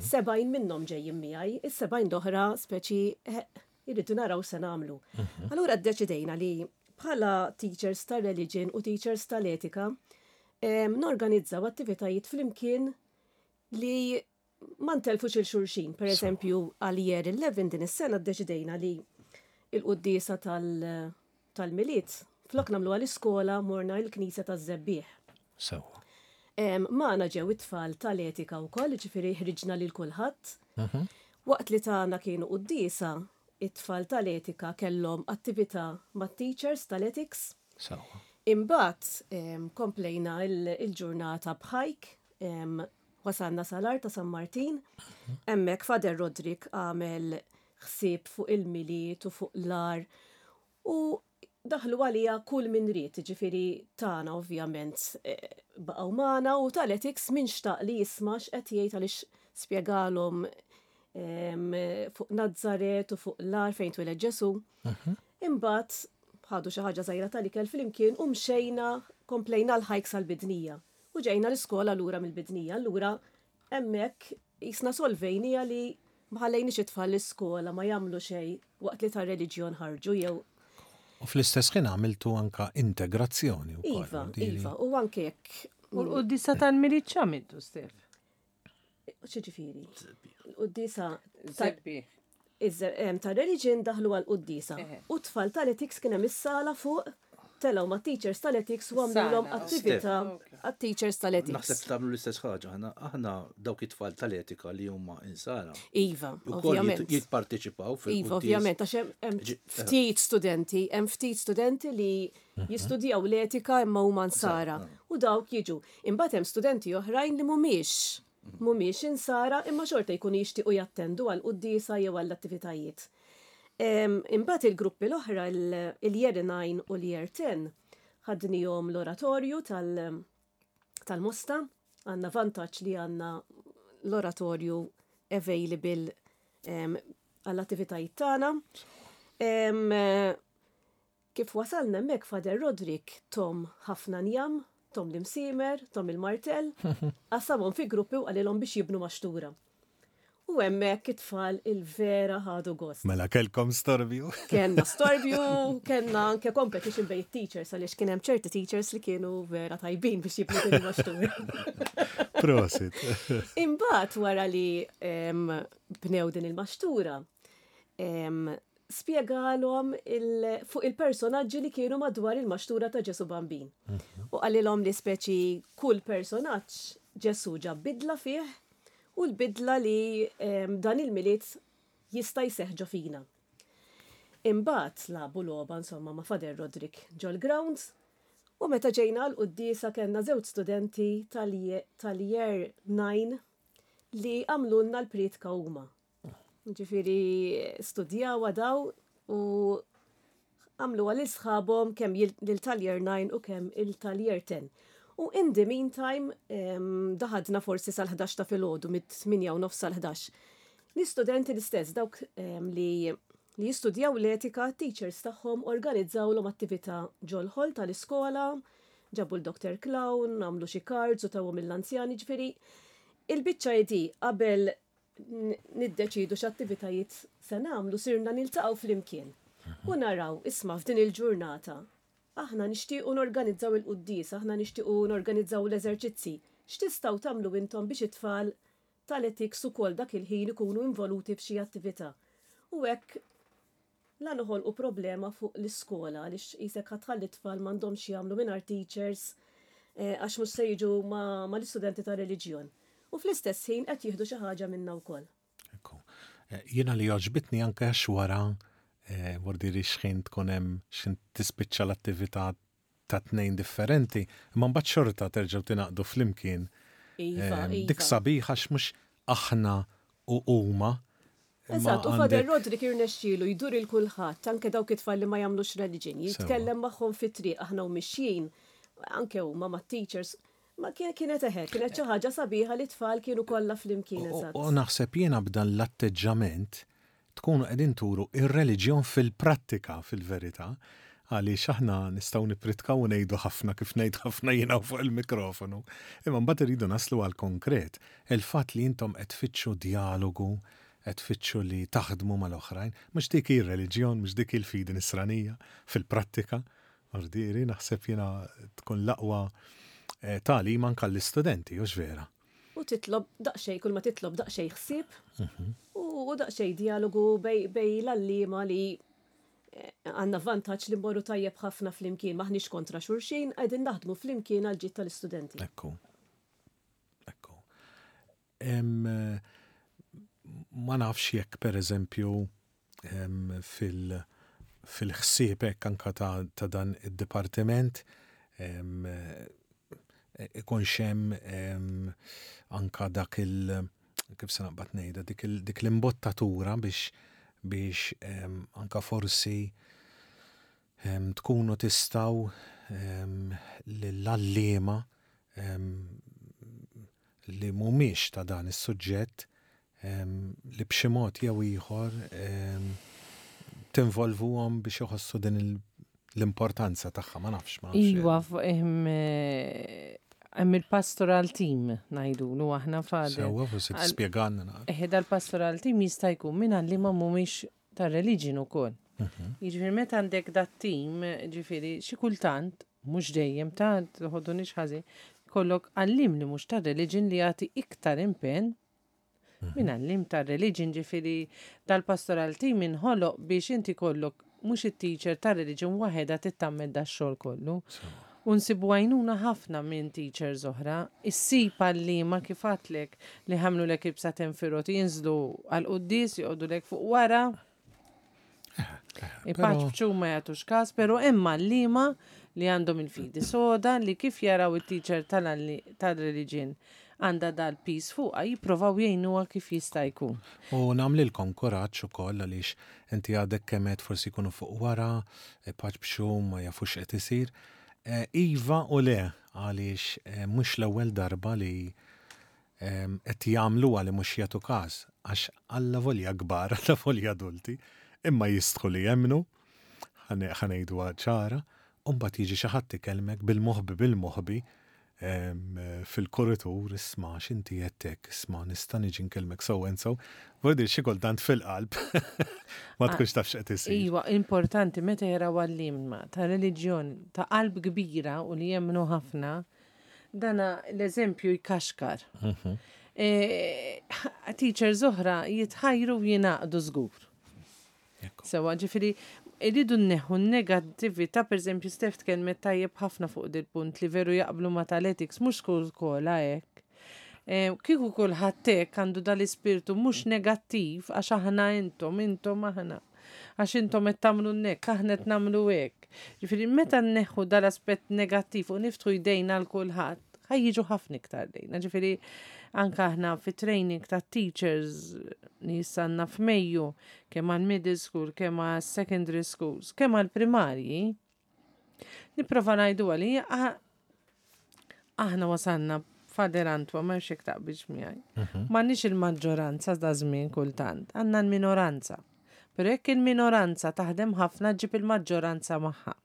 70 minnhom ġejjin miegħi, is-70 l-oħra speċi irridu naraw se nagħmlu. Allura ddeċidejna li bħala teachers ta' religion u teachers tal-etika norganizzaw attivitajiet flimkien li ma ntelfux il xulxin. Per eżempju, għal year 11 din is-sena ddeċidejna li il-quddiesa tal-Milied flok nagħmlu għal-iskola morna il-Knisja taż-Żebbiegħ. Sewwa. Magħna ġew it-tfal tal-etika wkoll, ġifieri ħriġna lil kulħadd. Waqt li tagħna kienu quddiesa, it-tfal tal-etika kellhom attività mat-teachers tal-ethics. Sewwa. Imbagħad komplejna il-ġurnata b'hike, wasalna sal-Għar ta' San Martin. Hemmhekk Father Roderick għamel ħsieb fuq il-Milied u fuq l-għar u daħlu għalija kull min ried, ġifieri tagħna ovvjament baqgħu magħna u tal-ethics min xtaq li jisma' x'qed jgħid għaliex spjegalhom fuq Nazzaret u fuq l-għar fejn twiled Ġesù. Imbagħad ħadu xi ħaġa żgħira tal-ikel flimkien u mxejna komplejna l-hike sal-Bidnija. U ġejna l-iskola lura mill-Bidnija. Allura hemmhekk jisna solvejnija li ma ħallejniex it-tfal l-iskola ma jagħmlu xejn waqt li tar-reliġjon ħarġu jew U fl-istess ħin għamiltu anka integrazzjoni wkoll. Iva, iva, u anke jekk. U l-quddiesa tal-Milied x'għamiltu, Stef? X'ġifieri? L-quddiesa Żebbiegħ. ta' religion daħlu għal quddiesa. U tfal tal-ethics kien hemm is-sala fuq telgħu ma' teachers tal-ethics u għamlulhom Sala, attività għat-teachers tal-ethics. Naħseb tagħmlu l-istess ħaġa, aħna aħna dawk it-tfal tal-etika li huma insara. Iva, Ukoll ovvjament. jipparteċipaw fil Iva, ovvjament, għax hemm ftit studenti, hemm ftit studenti li jistudjaw l-etika imma huma nsara. U dawk jiġu. Imbagħad hemm studenti oħrajn li mhumiex mhumiex insara imma xorta jkunu jixtiequ jattendu għal quddiesa jew għall attivitajiet. Imbagħad il-gruppi l-oħra il-year 9 u l-year 10 ħadnihom l-oratorju tal-Mosta, għandna vantaġġ li għandna l-oratorju available għall-attivitajiet tagħna. Kif wasalna hemmhekk Father Roderick tom ħafna njam, tom l-imsiemer, tom il-martell, qassamhom fi gruppi u qalilhom biex jibnu maxtura. U hemmhekk it-tfal il-vera ħadu gost. Mela kellkom storbju. Kenna storbju, kenna anke competition bejn teachers għaliex kien hemm ċerti teachers li kienu vera tajbin biex jibnu din il-maxtura. Prosit. Imbagħad wara li bnew din il-maxtura, spjegalhom fuq il-personaġġi li kienu madwar il-maxtura ta' Ġesu Bambin. U qalilhom li speċi kull personaġġ Ġesu ġab bidla fih u l-bidla li dan il-Milied jista' jseħħ ġo fina. Imbagħad lagħbu logħba insomma ma' Father Roderick ġol-grounds u meta ġejna għal quddiesa kellna żewġ studenti tal-year 9 li għamlulna l-prietka huma. Ġifieri studjawha daw u għamluha lil sħabhom kemm lil tal-year 9 u kemm il tal-year 10. U in the meantime daħadna forsi sal-11 ta' filgħodu mit-8 u nofs sal-11. L-istudenti l-istess dawk li li jistudjaw l-etika, teachers tagħhom organizzawlhom attività ġol-ħol tal-iskola, ġabu l-Dr. Clown, għamlu xi cards u tawhom l-anzjani, ġifieri il-biċċa di qabel niddeċidu x'attivitajiet se nagħmlu sirna niltaqgħu flimkien. U naraw, isma' f'din il-ġurnata, aħna nixtiequ norganizzaw il-quddies, aħna nixtiequ norganizzaw l-eżerċizzi. X'tistgħu tagħmlu intom biex it-tfal tal-ethics ukoll dak il-ħin ikunu involuti f'xi attività. U hekk la noħolqu problema fuq l-iskola għaliex qisek ħa tħalli t-tfal m'għandhomx jagħmlu mingħajr teachers għax mhux se jiġu mal-istudenti ta' reliġjon. U fl-istess ħin qed jieħdu xi ħaġa minna wkoll. Ekku. Jiena li għoġbitni anke għax wara vordiri xħin tkun hemm xħin tispiċċa l-attività ta' tnejn differenti, imma mbagħad xorta terġgħu tingħaqdu flimkien. Iva, Dik iva. sabiħa għax mhux aħna u huma. Eżatt, u Father Roderick irnexxielu jdur il kulħadd, anke dawk it-tfal li ma jagħmlux reliġjon, jitkellem magħhom fit-triq aħna u mixjin, anke huma mat-teachers. Ma kienet eħe, kienet xi ħaġa sabiħa li tfal kienu kollha flimkien eżatt. U naħseb jiena b'dan l-atteġġament tkunu qegħdin turu ir-reliġjon fil-prattika fil-verità, għaliex aħna nistgħu nippritkaw u ngħidu ħafna kif ngħid ħafna jiena fuq il-mikrofonu, imma mbagħad irridu naslu għal konkret. Il-fatt li intom qed tfittxu djalogu, qed tfittxu li taħdmu mal-oħrajn, mhux dik hi r-reliġjon, mhux dik hi l-fidi nisranija fil-prattika. Ordieri, naħseb jiena tkun l-aqwa eh, tagħlim anke għall-istudenti, hux vera? U titlob daqsxejn, kull ma titlob daqsxejn ħsieb mhm. u daqsxejn dialogu bej l-għalliema li eh, għandna vantaġġ li mmorru tajjeb ħafna flimkien, maħniex kontra xulxin, qegħdin naħdmu flimkien għal ġid tal-istudenti. Ekku. Ekku. Ma nafx jekk per eżempju fil- fil-ħsieb hekk anka ta', ta dan id-dipartiment ikunx hemm anka dak il- kif se naqbad ngħidha dik, dik l-imbottatura biex biex anka forsi tkunu tistgħu lill-għalliema li mhumiex ta' dan is-suġġett li b'xi mod jew ieħor tinvolvuhom biex iħossu din l-importanza tagħha, ma nafx. Ma nafx. Iwa, hemm il-pastoral team ngħidulu aħna Father. Sewwa, forsi tispjegalna. Eħe dal-pastoral team jista' jkun minn għalliema mhumiex tar-religion ukoll. Mhm. Jiġifieri meta għandek dat-team, ġifieri xi kultant, mhux dejjem ta' tħoddunix ħażin, kollok għallim li mhux tar-religion li jagħti iktar impenn mhm. minn għallim tar-religion ġifieri dal-pastoral team inħoloq biex inti kollok mhux it-teacher tar-religion waħedha tittammed dax-xogħol kollu. U nsibu għajnuna ħafna minn teachers oħra. Issib għalliema kif għadtlek li ħamlulek il-bsaten fir-roti jinżlu għall-quddies joqogħdulek fuq wara. Ipaċċu ma jagħtux każ, però hemm għalliema li għandhom il-fidi soda li kif jaraw it-teacher tal-reliġjon għandha dal-piż fuqha jipprovaw jgħinuha kif jista' jkun. U nagħmlilkom kuraġġ ukoll għaliex inti għadek kemm għedt forsi jkunu fuq wara, ipaċpċu, ma jafux x'qed isir. Iva u le għaliex mhux l-ewwel darba li qed jagħmluha li mhux jagħtu każ għax allavolja kbar, allavolja adulti, imma jistħu li jemmnu, ħa ngħiduha ċara, u mbagħad jiġi xi ħadd ikellmek bil-moħbi bil-moħbi fil-kuritur, isma' x'inti għedt hekk, isma' nista' niġi nkellmek so and so. Vuol dire xi kultant fil-qalb ma tkunx taf x'qed isir. Iva, importanti meta jaraw għalliema ta' reliġjon ta' qalb kbira u li jemmnu ħafna, dana l-eżempju jkaxkar. Mhm. E, teachers oħra jitħajru u jingħaqdu żgur. Sewa, ġifiri, irridu nneħħu n-negattività, per eżempju, Steph tkellmet tajjeb ħafna fuq dil-punt li veru jaqblu ma tal-ethics, mhux kull skola hekk. Eh, kieku kulħadd hekk għandu dal-ispirtu mhux negattiv għax aħna intom, intom aħna. Għax intom qed tagħmlu hekk, aħna qed nagħmlu hekk. Ġifieri meta nneħħu dal-aspett negattiv u niftħu jdejna għal kulħadd, ħa jiġu ħafna iktar lejna. Ġifieri anke aħna fit-training ta' teachers li jissanna f'Mejju, kemm għal middle school, kemm għal secondary schools, kemm għal primarji, nipprova ngħidu li aħna wasalna Father Antwa, ma jxek taqbilx miegħi. Mhm. M'għandniex il-maġġoranza da żmien kultant, għandna l-minoranza. Però jekk il-minoranza taħdem ħafna ġib il-maġġoranza magħha.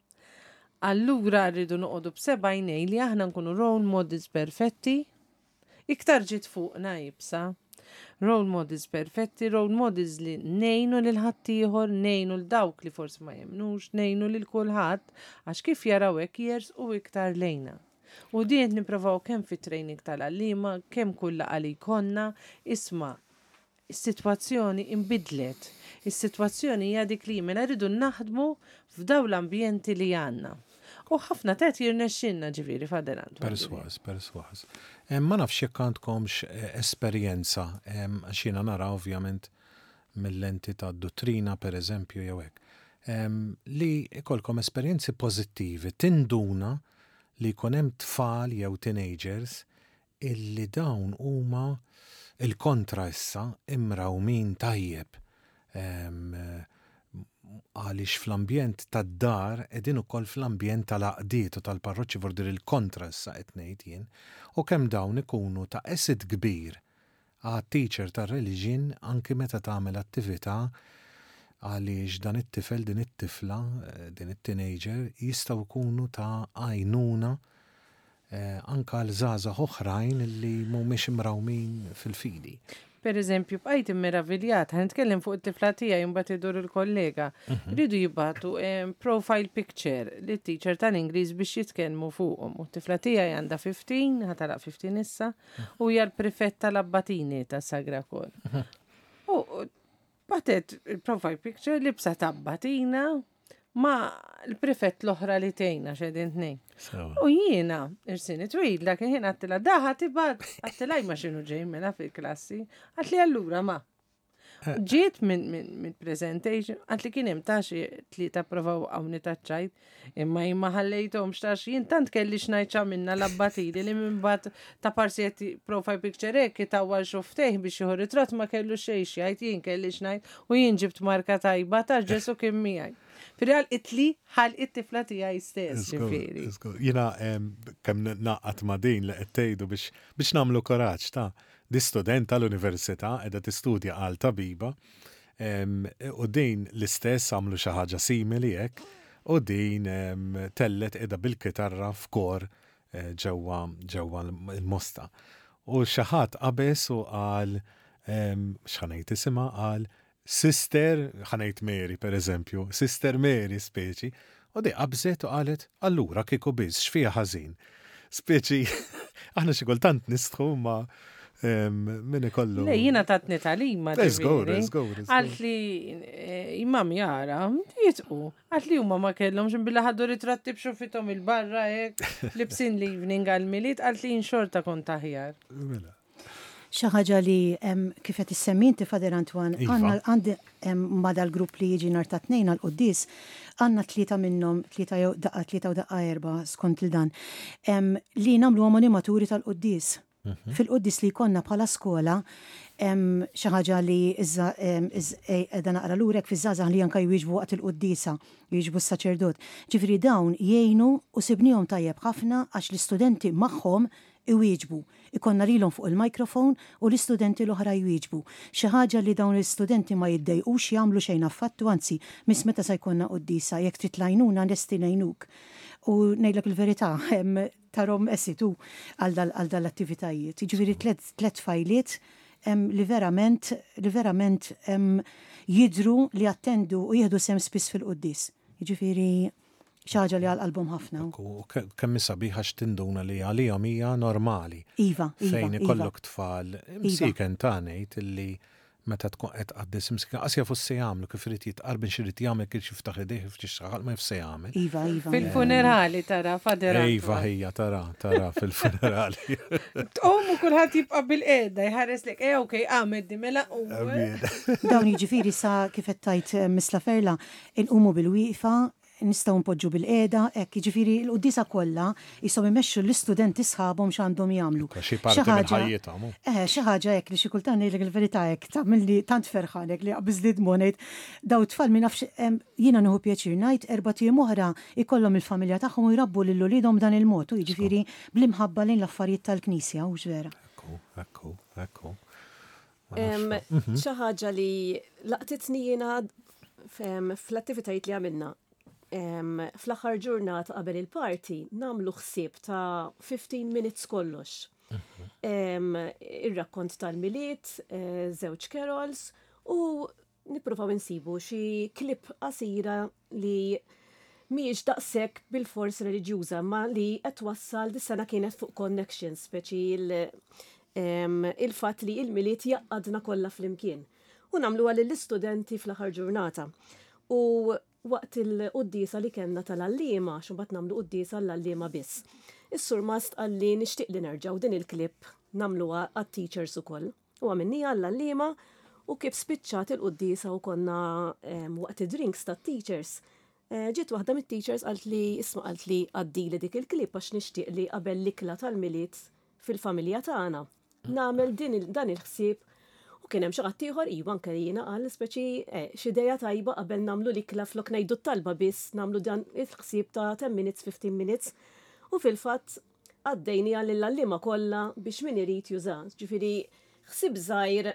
Allura rridu noqogħdu b'seba' għajnejn li aħna nkunu role models perfetti, iktar ġiet fuqna iebsa. Role models perfetti, role models li ngħinu lil ħaddieħor, ngħinu 'l dawk li forsi ma jemmnux, ngħinu lil kulħadd għax kif jaraw hekk jersqu iktar lejna. U din qed nipprovaw kemm fit-training tal-għalliema, kemm kull laqgħa li jkollna, isma' Is-sitwazzjoni inbidlet. Is-sitwazzjoni hija dik li hi, mela rridu naħdmu f'dawn l-ambjenti li għandna. U ħafna t'qed jirnexxilna ġifieri, Father Antoine. Persważ, persważ. Ma nafx jekk għandkomx esperjenza, għax jiena nara ovvjament mil-lenti tad-duttrina per eżempju jew hekk, li jkollkom esperjenzi pożittivi, tinduna li jkun hemm tfal jew teenagers illi dawn huma il-kontra issa imrawmin tajjeb. Għaliex fl-ambjent tad-dar qegħdin ukoll fl-ambjent tal-għaqdiet u tal-parroċċi vordir il-kontra issa qed ngħid jien, u kemm dawn ikunu ta' asset kbir għat-teacher tar-reliġjon anki meta tagħmel attività għaliex dan it-tifel, din it-tifla, din it-teenager jistgħu jkunu ta' għajnuna anke għal żgħażagħ oħrajn li mhumiex imrawmin fil-fidi. Per eżempju, bqajt immeraviljat, ħa nitkellem fuq it-tifla tiegħi mbagħad idur il-kollega. Ridu jibgħatu profile picture lit teacher tal-Ingliż biex jitkellmu fuqhom. U t-tifla tiegħi għandha 15, ħa tagħlaq 15 issa, u hija l-prefett tal-Abbatini tas-Sagra Kor. U bagħtet il-profile picture libsa ta' abbatina ma' l-prefett l-oħra li tgħinna x'qegħdin tnejn. U jiena, irsini twil, dak il-ħin għedtilha, daħa tibgħat, għedtilha ma x'inhu ġej mela fil-klassi, għedtli allura ma. Ġiet minn min, min presentation, għedtli kien hemm ta' xi tlieta provaw hawnni taċ-ċajt, imma jien ma ħallejthomx ta' jien tant kelli x'ngħid x'għamilna l-abbatili li minn bat ta' parsi qed profile picture hekk itawwal xuftejh biex jieħu ritratt ma kellu xejn x'jgħid, jien kelli x'ngħid u jien ġibt marka tajba ta' Ġesu kien miegħi. Fil-real itli ħal it-tifla tiegħi stess, ġifieri. Jiena kemm naqgħad ma' din li qed tgħidu biex biex nagħmlu kuraġġ ta' di student tal-università qiegħda tistudja għal tabiba u din l-istess għamlu xi ħaġa simili hekk u din tellet qiegħda bil-kitarra f'kor ġewwa ġewwa l-Mosta. U xi ħadd qabeż u qal x'ħa ngħid isimha qal Sister, ħa ngħid Mary per eżempju, Sister Mary speċi, u di qabżet u qalet, allura kieku biss x'fiha ħażin. Speċi, aħna xi kultant nistħu ma min ikollu. Le, jiena tatni tagħlima. Żgur, żgur. Għalt li imam jara, jitqu. Għalt li huma ma kellhomx billi ħadu ritratti b'xufithom il-barra hekk, libsin l-evening għal-Milied, għalt li xorta kont aħjar. Mela. Xi ħaġa li kif qed issemmi inti Father Antoine, Iva. għandna għandi ma dal-grupp li jiġi nhar ta' tnejn għal quddies, għandna tlieta minnhom, tlieta jew daqqa tlieta u daqqa erba' skont il dan, li nagħmluhom animaturi tal-quddies. Fil-quddies li jkollna bħala skola, xi ħaġa li qiegħda naqra lurek fiż-żgħażagħ li anke jwieġbu waqt il-quddiesa, jwieġbu s-saċerdot. Ġifieri dawn jgħinu u sibnihom tajjeb ħafna għax l-istudenti magħhom iwieġbu. Ikollna lilhom fuq il-microphone u l-istudenti l-oħra jwieġbu. Xi ħaġa li dawn l-istudenti ma jiddejqux jagħmlu xejn affattu, anzi, miss meta sa jkollna quddiesa, jekk trid l-għajnuna lesti ngħinuk. U ngħidlek il-verità, tarhom esitu għal għal dal-attivitajiet. Jiġifieri tliet tfajliet li verament li verament jidhru li jattendu u jieħdu sehem spiss fil-quddies. Jiġifieri xi ħaġa li għal qalbhom ħafna. U kemm hi sabiħa x'tinduna li għalihom hija normali. Iva, iva. Fejn ikollok tfal, imsiken ta' ngħid illi meta tkun qed tqaddes imsiken qas jafu x'se jagħmlu kif irid jitqarben x'irid jagħmel kif jiftaħ idejh kif jixxaħal ma jaf se jagħmel. Iva, iva. Fil-funerali tara, Father Iva ħija tara, tara fil-funerali. Tqum u kulħadd jibqa' bil-qiegħda jħares lek, eh okej, għamed di mela u. Dawn jiġifieri sa kif qed tgħid eh, Miss Laferla, inqumu bil-wieqfa, nistgħu npoġġu bilqiegħda, hekk, jiġifieri l-quddiesa kollha qishom imexxu l-istudenti sħabhom x'għandhom jagħmlu. Xi parti minn ħajjithom. Eħe, xi ħaġa hekk li xi kultant ngħidlek il-verità hekk tagħmilni tant ferħan hekk li jaqbiżli d-dmugħ ngħid dawn it-tfal min nafx jiena nieħu pjaċir ngħid erbat ijiem oħra jkollhom il-familja tagħhom u jrabbu lil uliedhom b'dan il-mod, u jiġifieri bl-imħabba lejn l-affarijiet tal-Knisja, hux vera? Ekku, ekku, ekku. Xi ħaġa li laqtitni jiena fl-attivitajiet li għamilna. Fl-aħħar ġurnata qabel il-party nagħmlu ħsieb ta' 15 minutes kollox. Ir-rakkont tal-Milied, eh, żewġ carols u nippruvaw insibu xi clip qasira li mhijiex daqshekk bilfors reliġjuża imma li qed twassal dis-sena kienet fuq connections, speċi il-fatt li il-Milied jgħaqqadna kollha flimkien. U nagħmluha lill-istudenti fl-aħħar ġurnata. U waqt il-quddiesa li kellna tal-għalliema, għax imbagħad nagħmlu quddiesa għall-għalliema biss. Is-surmast qalli nixtieq li nerġgħu din il-clip nagħmluha għat-teachers ukoll. U għamilniha għall-għalliema u kif spiċċat il-quddiesa u konna waqt id-drinks tat-teachers, eh, ġiet waħda mit-teachers qalt li isma' qalt li għaddili dik il-clip għax nixtieq li qabel l-ikla tal-Milied fil-familja tagħna nagħmel din dan il-ħsieb. U kien hemm xi ħadd ieħor iva anke jiena qal speċi eh, x'idea tajba qabel nagħmlu l-ikla flok ngħidu t-talba biss nagħmlu dan il-ħsieb ta' 10 minutes, 15 minutes. U fil-fatt għaddejniha lill-għalliema kollha biex min irid juża. Ġifieri ħsieb żgħir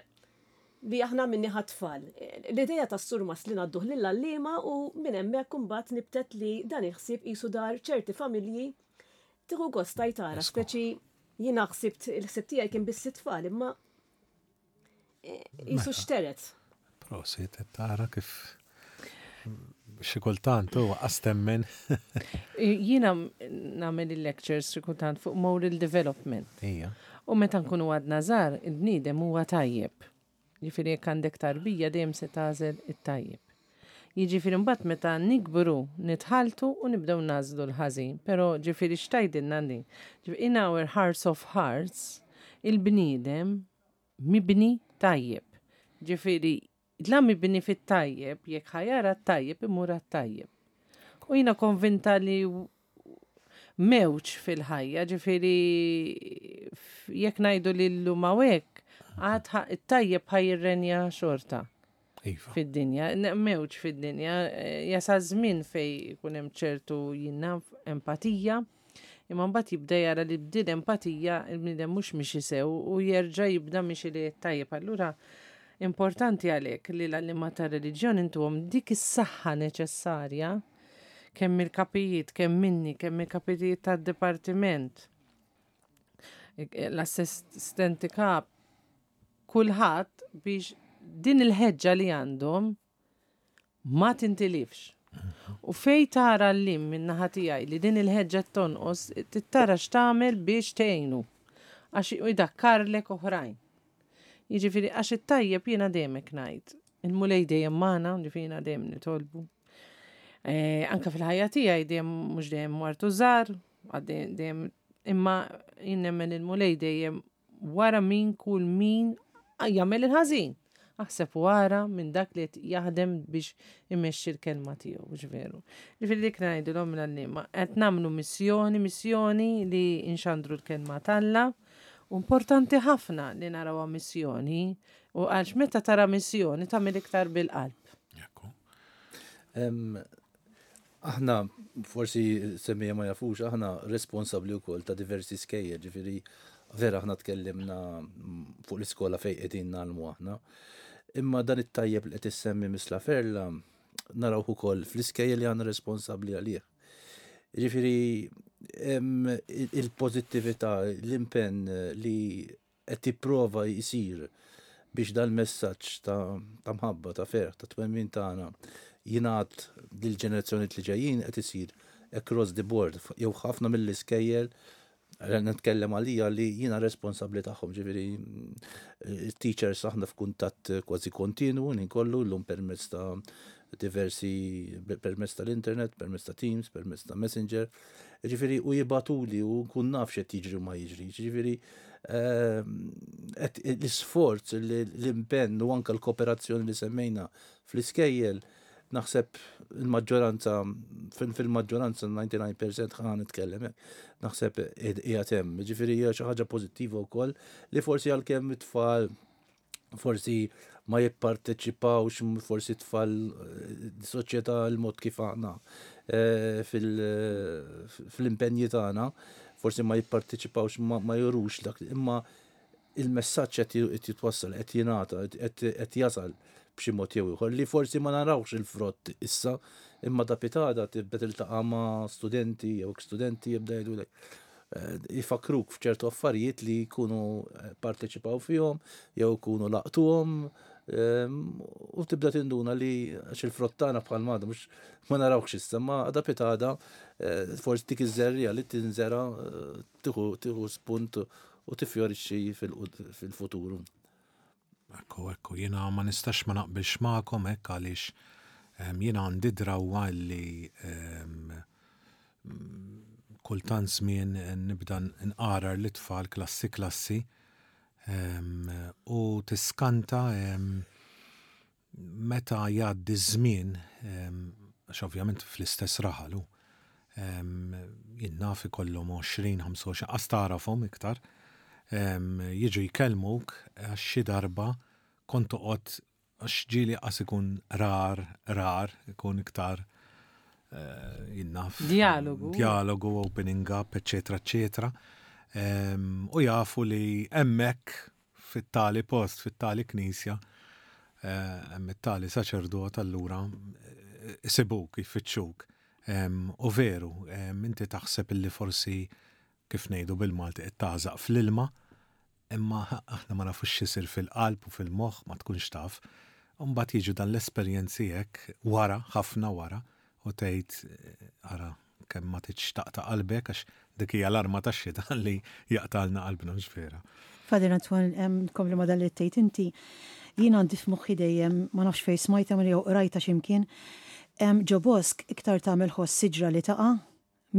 li aħna għamilnih għat-tfal. L-idea tas-surmast li ngħadduh lill-għalliema u minn hemmhekk imbagħad nibtet li dan il-ħsieb qisu dar ċerti familji tieħu gost tgħid tara, speċi jiena ħsibt il-ħsieb tiegħi kien biss it-tfal imma Jisu mela. xteret. Prosit, tara kif xi kultant huwa qastemmen. Jiena nagħmel il-lectures xi kultant fuq moral development. Ija. U meta nkunu għadna żgħar, il-bniedem huwa tajjeb. Ġifieri jekk għandek tarbija dejjem se tagħżel it-tajjeb. Jiġifieri mbagħad meta nikbru nitħalltu u nibdew nagħżlu l-ħażin. Però ġifieri x'tgħidilna din? Ġifieri in our hearts of hearts il-bniedem mibni tajjeb. Ġifieri, la mibni fit-tajjeb, jekk ħa jara t-tajjeb imur għat-tajjeb. U jiena konvinta li mewġ fil-ħajja, ġifieri jekk ngħidu li llum hawnhekk, għad it-tajjeb ħa jirrenja xorta. Iva. Fid-dinja, mewġ fid-dinja, eh, jasal żmien fej ikun hemm ċertu jinnaf empatija, imma mbagħad jibda jara li bdil empatija il-bniedem mhux mixi sew u jerġa' jibda mixi li tajjeb. Allura importanti għalhekk li l-għalliema tar-reliġjon intuhom dik is-saħħa neċessarja kemm il-kapijiet, kemm minni, kemm il-kapijiet tad-dipartiment, l-assistenti kap, kulħadd biex din il-ħeġġa li għandhom ma tintilifx. U fej tara l-lim minn naħa tiegħi li din il-ħeġġa tonqos, tittara x'tagħmel biex tgħinu. Għax idakkarlek oħrajn. Jiġifieri għax it-tajjeb jiena dejjem hekk ngħid. Il-Mulej dejjem magħna, ġifieri jiena dejjem nitolbu. Eh, anka fil-ħajja tiegħi dejjem mhux dejjem martu żgħar, dejjem imma jien nemmen il-Mulej dejjem wara min kull min jagħmel il-ħażin. Aħseb u ara minn dak li qed jaħdem biex imexxi l-kelma tiegħu, mhux veru. Ġifieri dik ngħidilhom l-għalliema, qed nagħmlu missjoni, missjoni li nxandru l-kelma t'Alla. U importanti ħafna li narawha missjoni u għax meta tara missjoni tagħmel iktar bil-qalb. Ekku. Aħna, forsi semmija ma jafux, aħna responsabbli wkoll ta' diversi skejjel, ġifieri vera aħna tkellimna fuq l-iskola fejn qegħdin nagħlmu aħna. Imma dan it-tajjeb li qed issemmi Miss La Ferla narawh ukoll fl-iskejjel li aħna responsabbli għalih. Ġifieri il-pożittività, l-impenn li qed jipprova jsir biex dal-messaġġ ta' mħabba, ta' ferħ, ta' twemmin tagħna jingħad lill-ġenerazzjonijiet li ġejjin qed isir across the board jew ħafna mill-iskejjel nitkellem għalija li jiena responsabbli tagħhom, ġifieri teachers aħna f'kuntatt kważi kontinwu kollu llum permezz ta' diversi permezz tal-internet, permezz ta' Teams, permezz ta' Messenger. Ġifieri u jibgħatuli u nkun naf x'qed jiġri u ma jiġrix. Ġifieri ehm, l-isforz, l-impenn u anke l-kooperazzjoni li semmejna fl-iskejjel naħseb il-maġġoranza fil-maġġoranza 99% ħa nitkellem naħseb qiegħed hemm. Ġifieri hija xi ħaġa pożittiva wkoll li forsi għalkemm it-tfal forsi ma jipparteċipawx, forsi tfal eh, soċjetà l-mod kif aħna eh, fil-impenji tagħna, forsi ma jipparteċipawx, ma jurux dak, imma il-messaġġ qed jitwassal, qed jingħata, qed jasal b'xi mod jew ieħor li forsi ma narawx il-frott issa, imma da pitada tibda tiltaqa' ma' studenti jew studenti jibda jgħidulek Ifakruk f'ċertu affarijiet li jkunu eh, parteċipaw fihom jew jkunu laqtuhom ehm, u tibda tinduna li għax il-frottana bħal mada mhux ma narawx issa ma għada pitada eh, forsi dik iż-żerrija li tinżera eh, tieħu spunt u tifjorixxi fil-futuru. Ekku, ekku, jiena ma nistax ma naqbilx magħkom hekk għaliex ehm, jiena għandi drawwa li ehm, kultant żmien nibda nqarar l-itfal klassi klassi ehm, u tiskanta Meta jgħaddi ż-żmien, għax ovvjament fl-istess raħal hu, jien naf ikollhom 20, 25, qas tagħrafhom iktar, jiġu jkellmuk għax xi darba Kont toqgħod għax ġieli qas ikun rar, rar, ikun iktar eh, jinnaf. Dialogu. Dialogu, opening up, eccetera, eccetera. U jafu li hemmhekk fit-tali post, fit-tali knisja, eh, hemm it-tali saċerdot allura eh, isibuk, jfittxuk. U veru, inti taħseb illi forsi kif ngħidu bil-Malti qed tagħżaq fl-ilma, imma aħna ma nafux x'isir fil-qalb u fil-moħħ ma tkunx taf. U mbagħad jiġu dan l-esperjenzi hekk wara, ħafna wara, u tgħid ara kemm ma tridx taqta' qalbek għax dik hija l-arma tax-xitan li jaqtgħalna qalbna mhux vera. Father Antoine, nkompli ma' dan li tgħid inti, jien għandi f'moħħi dejjem, ma nafx fejn smajtha jew qrajtha xi mkien, ġo bosk iktar tagħmel ħoss siġra li taqa'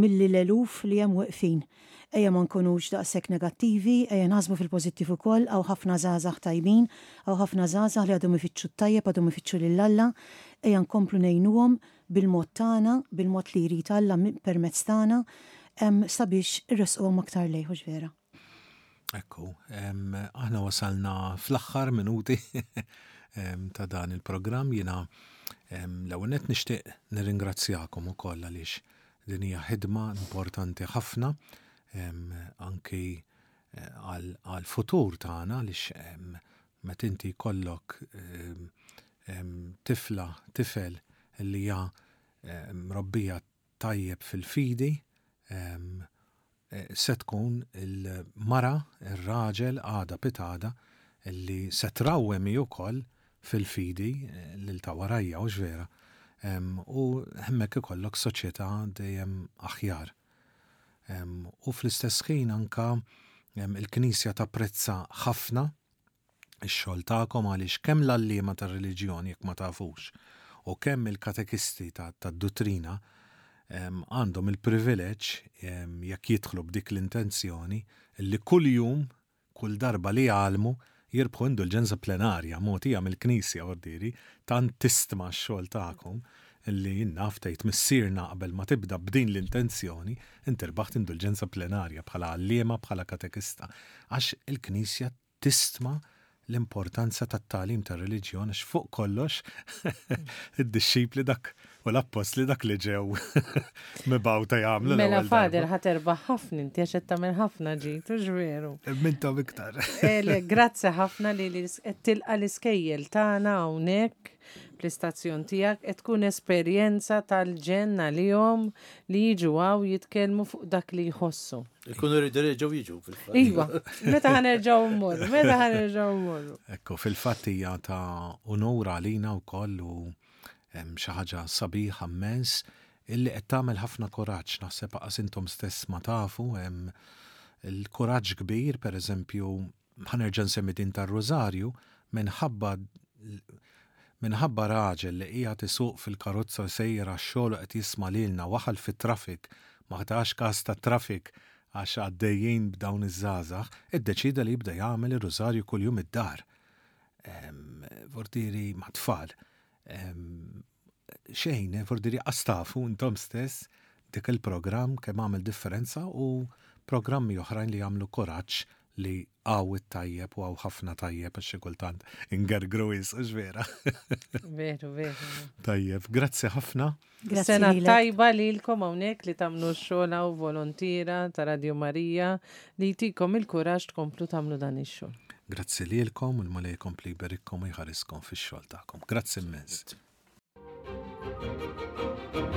milli l-eluf li hemm weqfin. Ejja ma nkunux daqshekk negattivi, ejja naħsbu fil-pożittiv ukoll, hawn ħafna żgħażagħ tajbin, hawn ħafna żgħażagħ li għadhom ifittxu t-tajjeb, għadhom ifittxu lil Alla, ejja nkomplu ngħinuhom bil-mod tagħna, bil-mod li jrid Alla permezz tagħna, sabiex irressquhom aktar lejh, hux vera? Ekku, aħna wasalna fl-aħħar minuti ta' dan il-programm jiena l-ewwel nett nixtieq nirringrazzjakom ukoll għaliex din hija ħidma importanti ħafna anki eh, għal-futur tagħna għaliex meta inti jkollok tifla, tifel li hija mrobbija tajjeb fil-fidi, se tkun il-mara, ir-raġel għada pitgħada li se trawwem hi wkoll fil-fidi lil ta' warajja, hux vera? U hemmhekk ikollok soċjetà dejjem aħjar. U fl-istess ħin anka il-Knisja tapprezza ħafna ix-xogħol tagħkom għaliex kemm l-għalliema tar-reliġjon jekk ma tafux u kemm il-katekisti tad-duttrina għandhom il-privileġġ jekk jidħlu b'dik l-intenzjoni li kuljum kull darba li jgħallmu jirbħu indulġenza plenarja mogħtija mill-Knisja ordieri tant tistma x-xogħol tagħkom li jien naf tgħid missierna qabel ma tibda b'din l-intenzjoni inti rbaħt indulġenza plenarja bħala għalliema bħala katekista għax il-Knisja tistma l-importanza tat-tagħlim tar-reliġjon għax fuq kollox id-dixxipli dak u l-appostli dak li ġew mibgħuta jagħmlu. Mela Father ħa terbaħ ħafna inti għax qed tagħmel ħafna ġid, hux veru? Mintom iktar. Grazzi ħafna li qed tilqa' l-iskejjel tagħna hawnhekk fl-istazzjon tiegħek qed tkun esperjenza tal-ġenn għalihom li jiġu hawn jitkellmu fuq dak li jħossu. Ikunu rridu jerġgħu jiġu fil-fatt. Iva, meta ħanerġgħu mmorru, meta ħanerġgħu mmorru. Ekku, fil-fatt hija ta' unur għalina wkoll u xi ħaġa sabiħa mmens illi qed tagħmel ħafna kuraġġ, naħseb aqas intom stess ma tafu, hemm il-kuraġġ kbir, pereżempju, Ħa nerġa' nsemmi din tar-Rużarju, minħabba minħabba raġel li qiegħed isuq fil-karozza u sejjer għax-xogħol u qed jisma' lilna waħal fit-traffic, ma tax kas tat-traffic għax għaddejjin b'dawn iż-żgħażagħ, iddeċieda li jibda jagħmel ir-Rużarju kuljum id-dar. Vortiri mat-tfal. Xejn, eh, vortiri qas tafu intom stess dik il-programm kemm għamel differenza u programmi oħrajn li jagħmlu kuraġġ li hawn it-tajjeb u hawn ħafna tajjeb għax xi kultant ingergru wisq, hux vera? Veru, veru. Tajjeb, grazzi ħafna. Grazzi Sena lilek. tajba lilkom hawnhekk li tagħmlu x-xogħol hawn volontiera ta' Radio Marija li jtikom il-kuraġġ tkomplu tagħmlu dan ix-xogħol. Grazzi lilkom u l-Mulej jkompli jberikkom u jħariskom fix-xogħol tagħkom. Grazzi immens. Grazzi.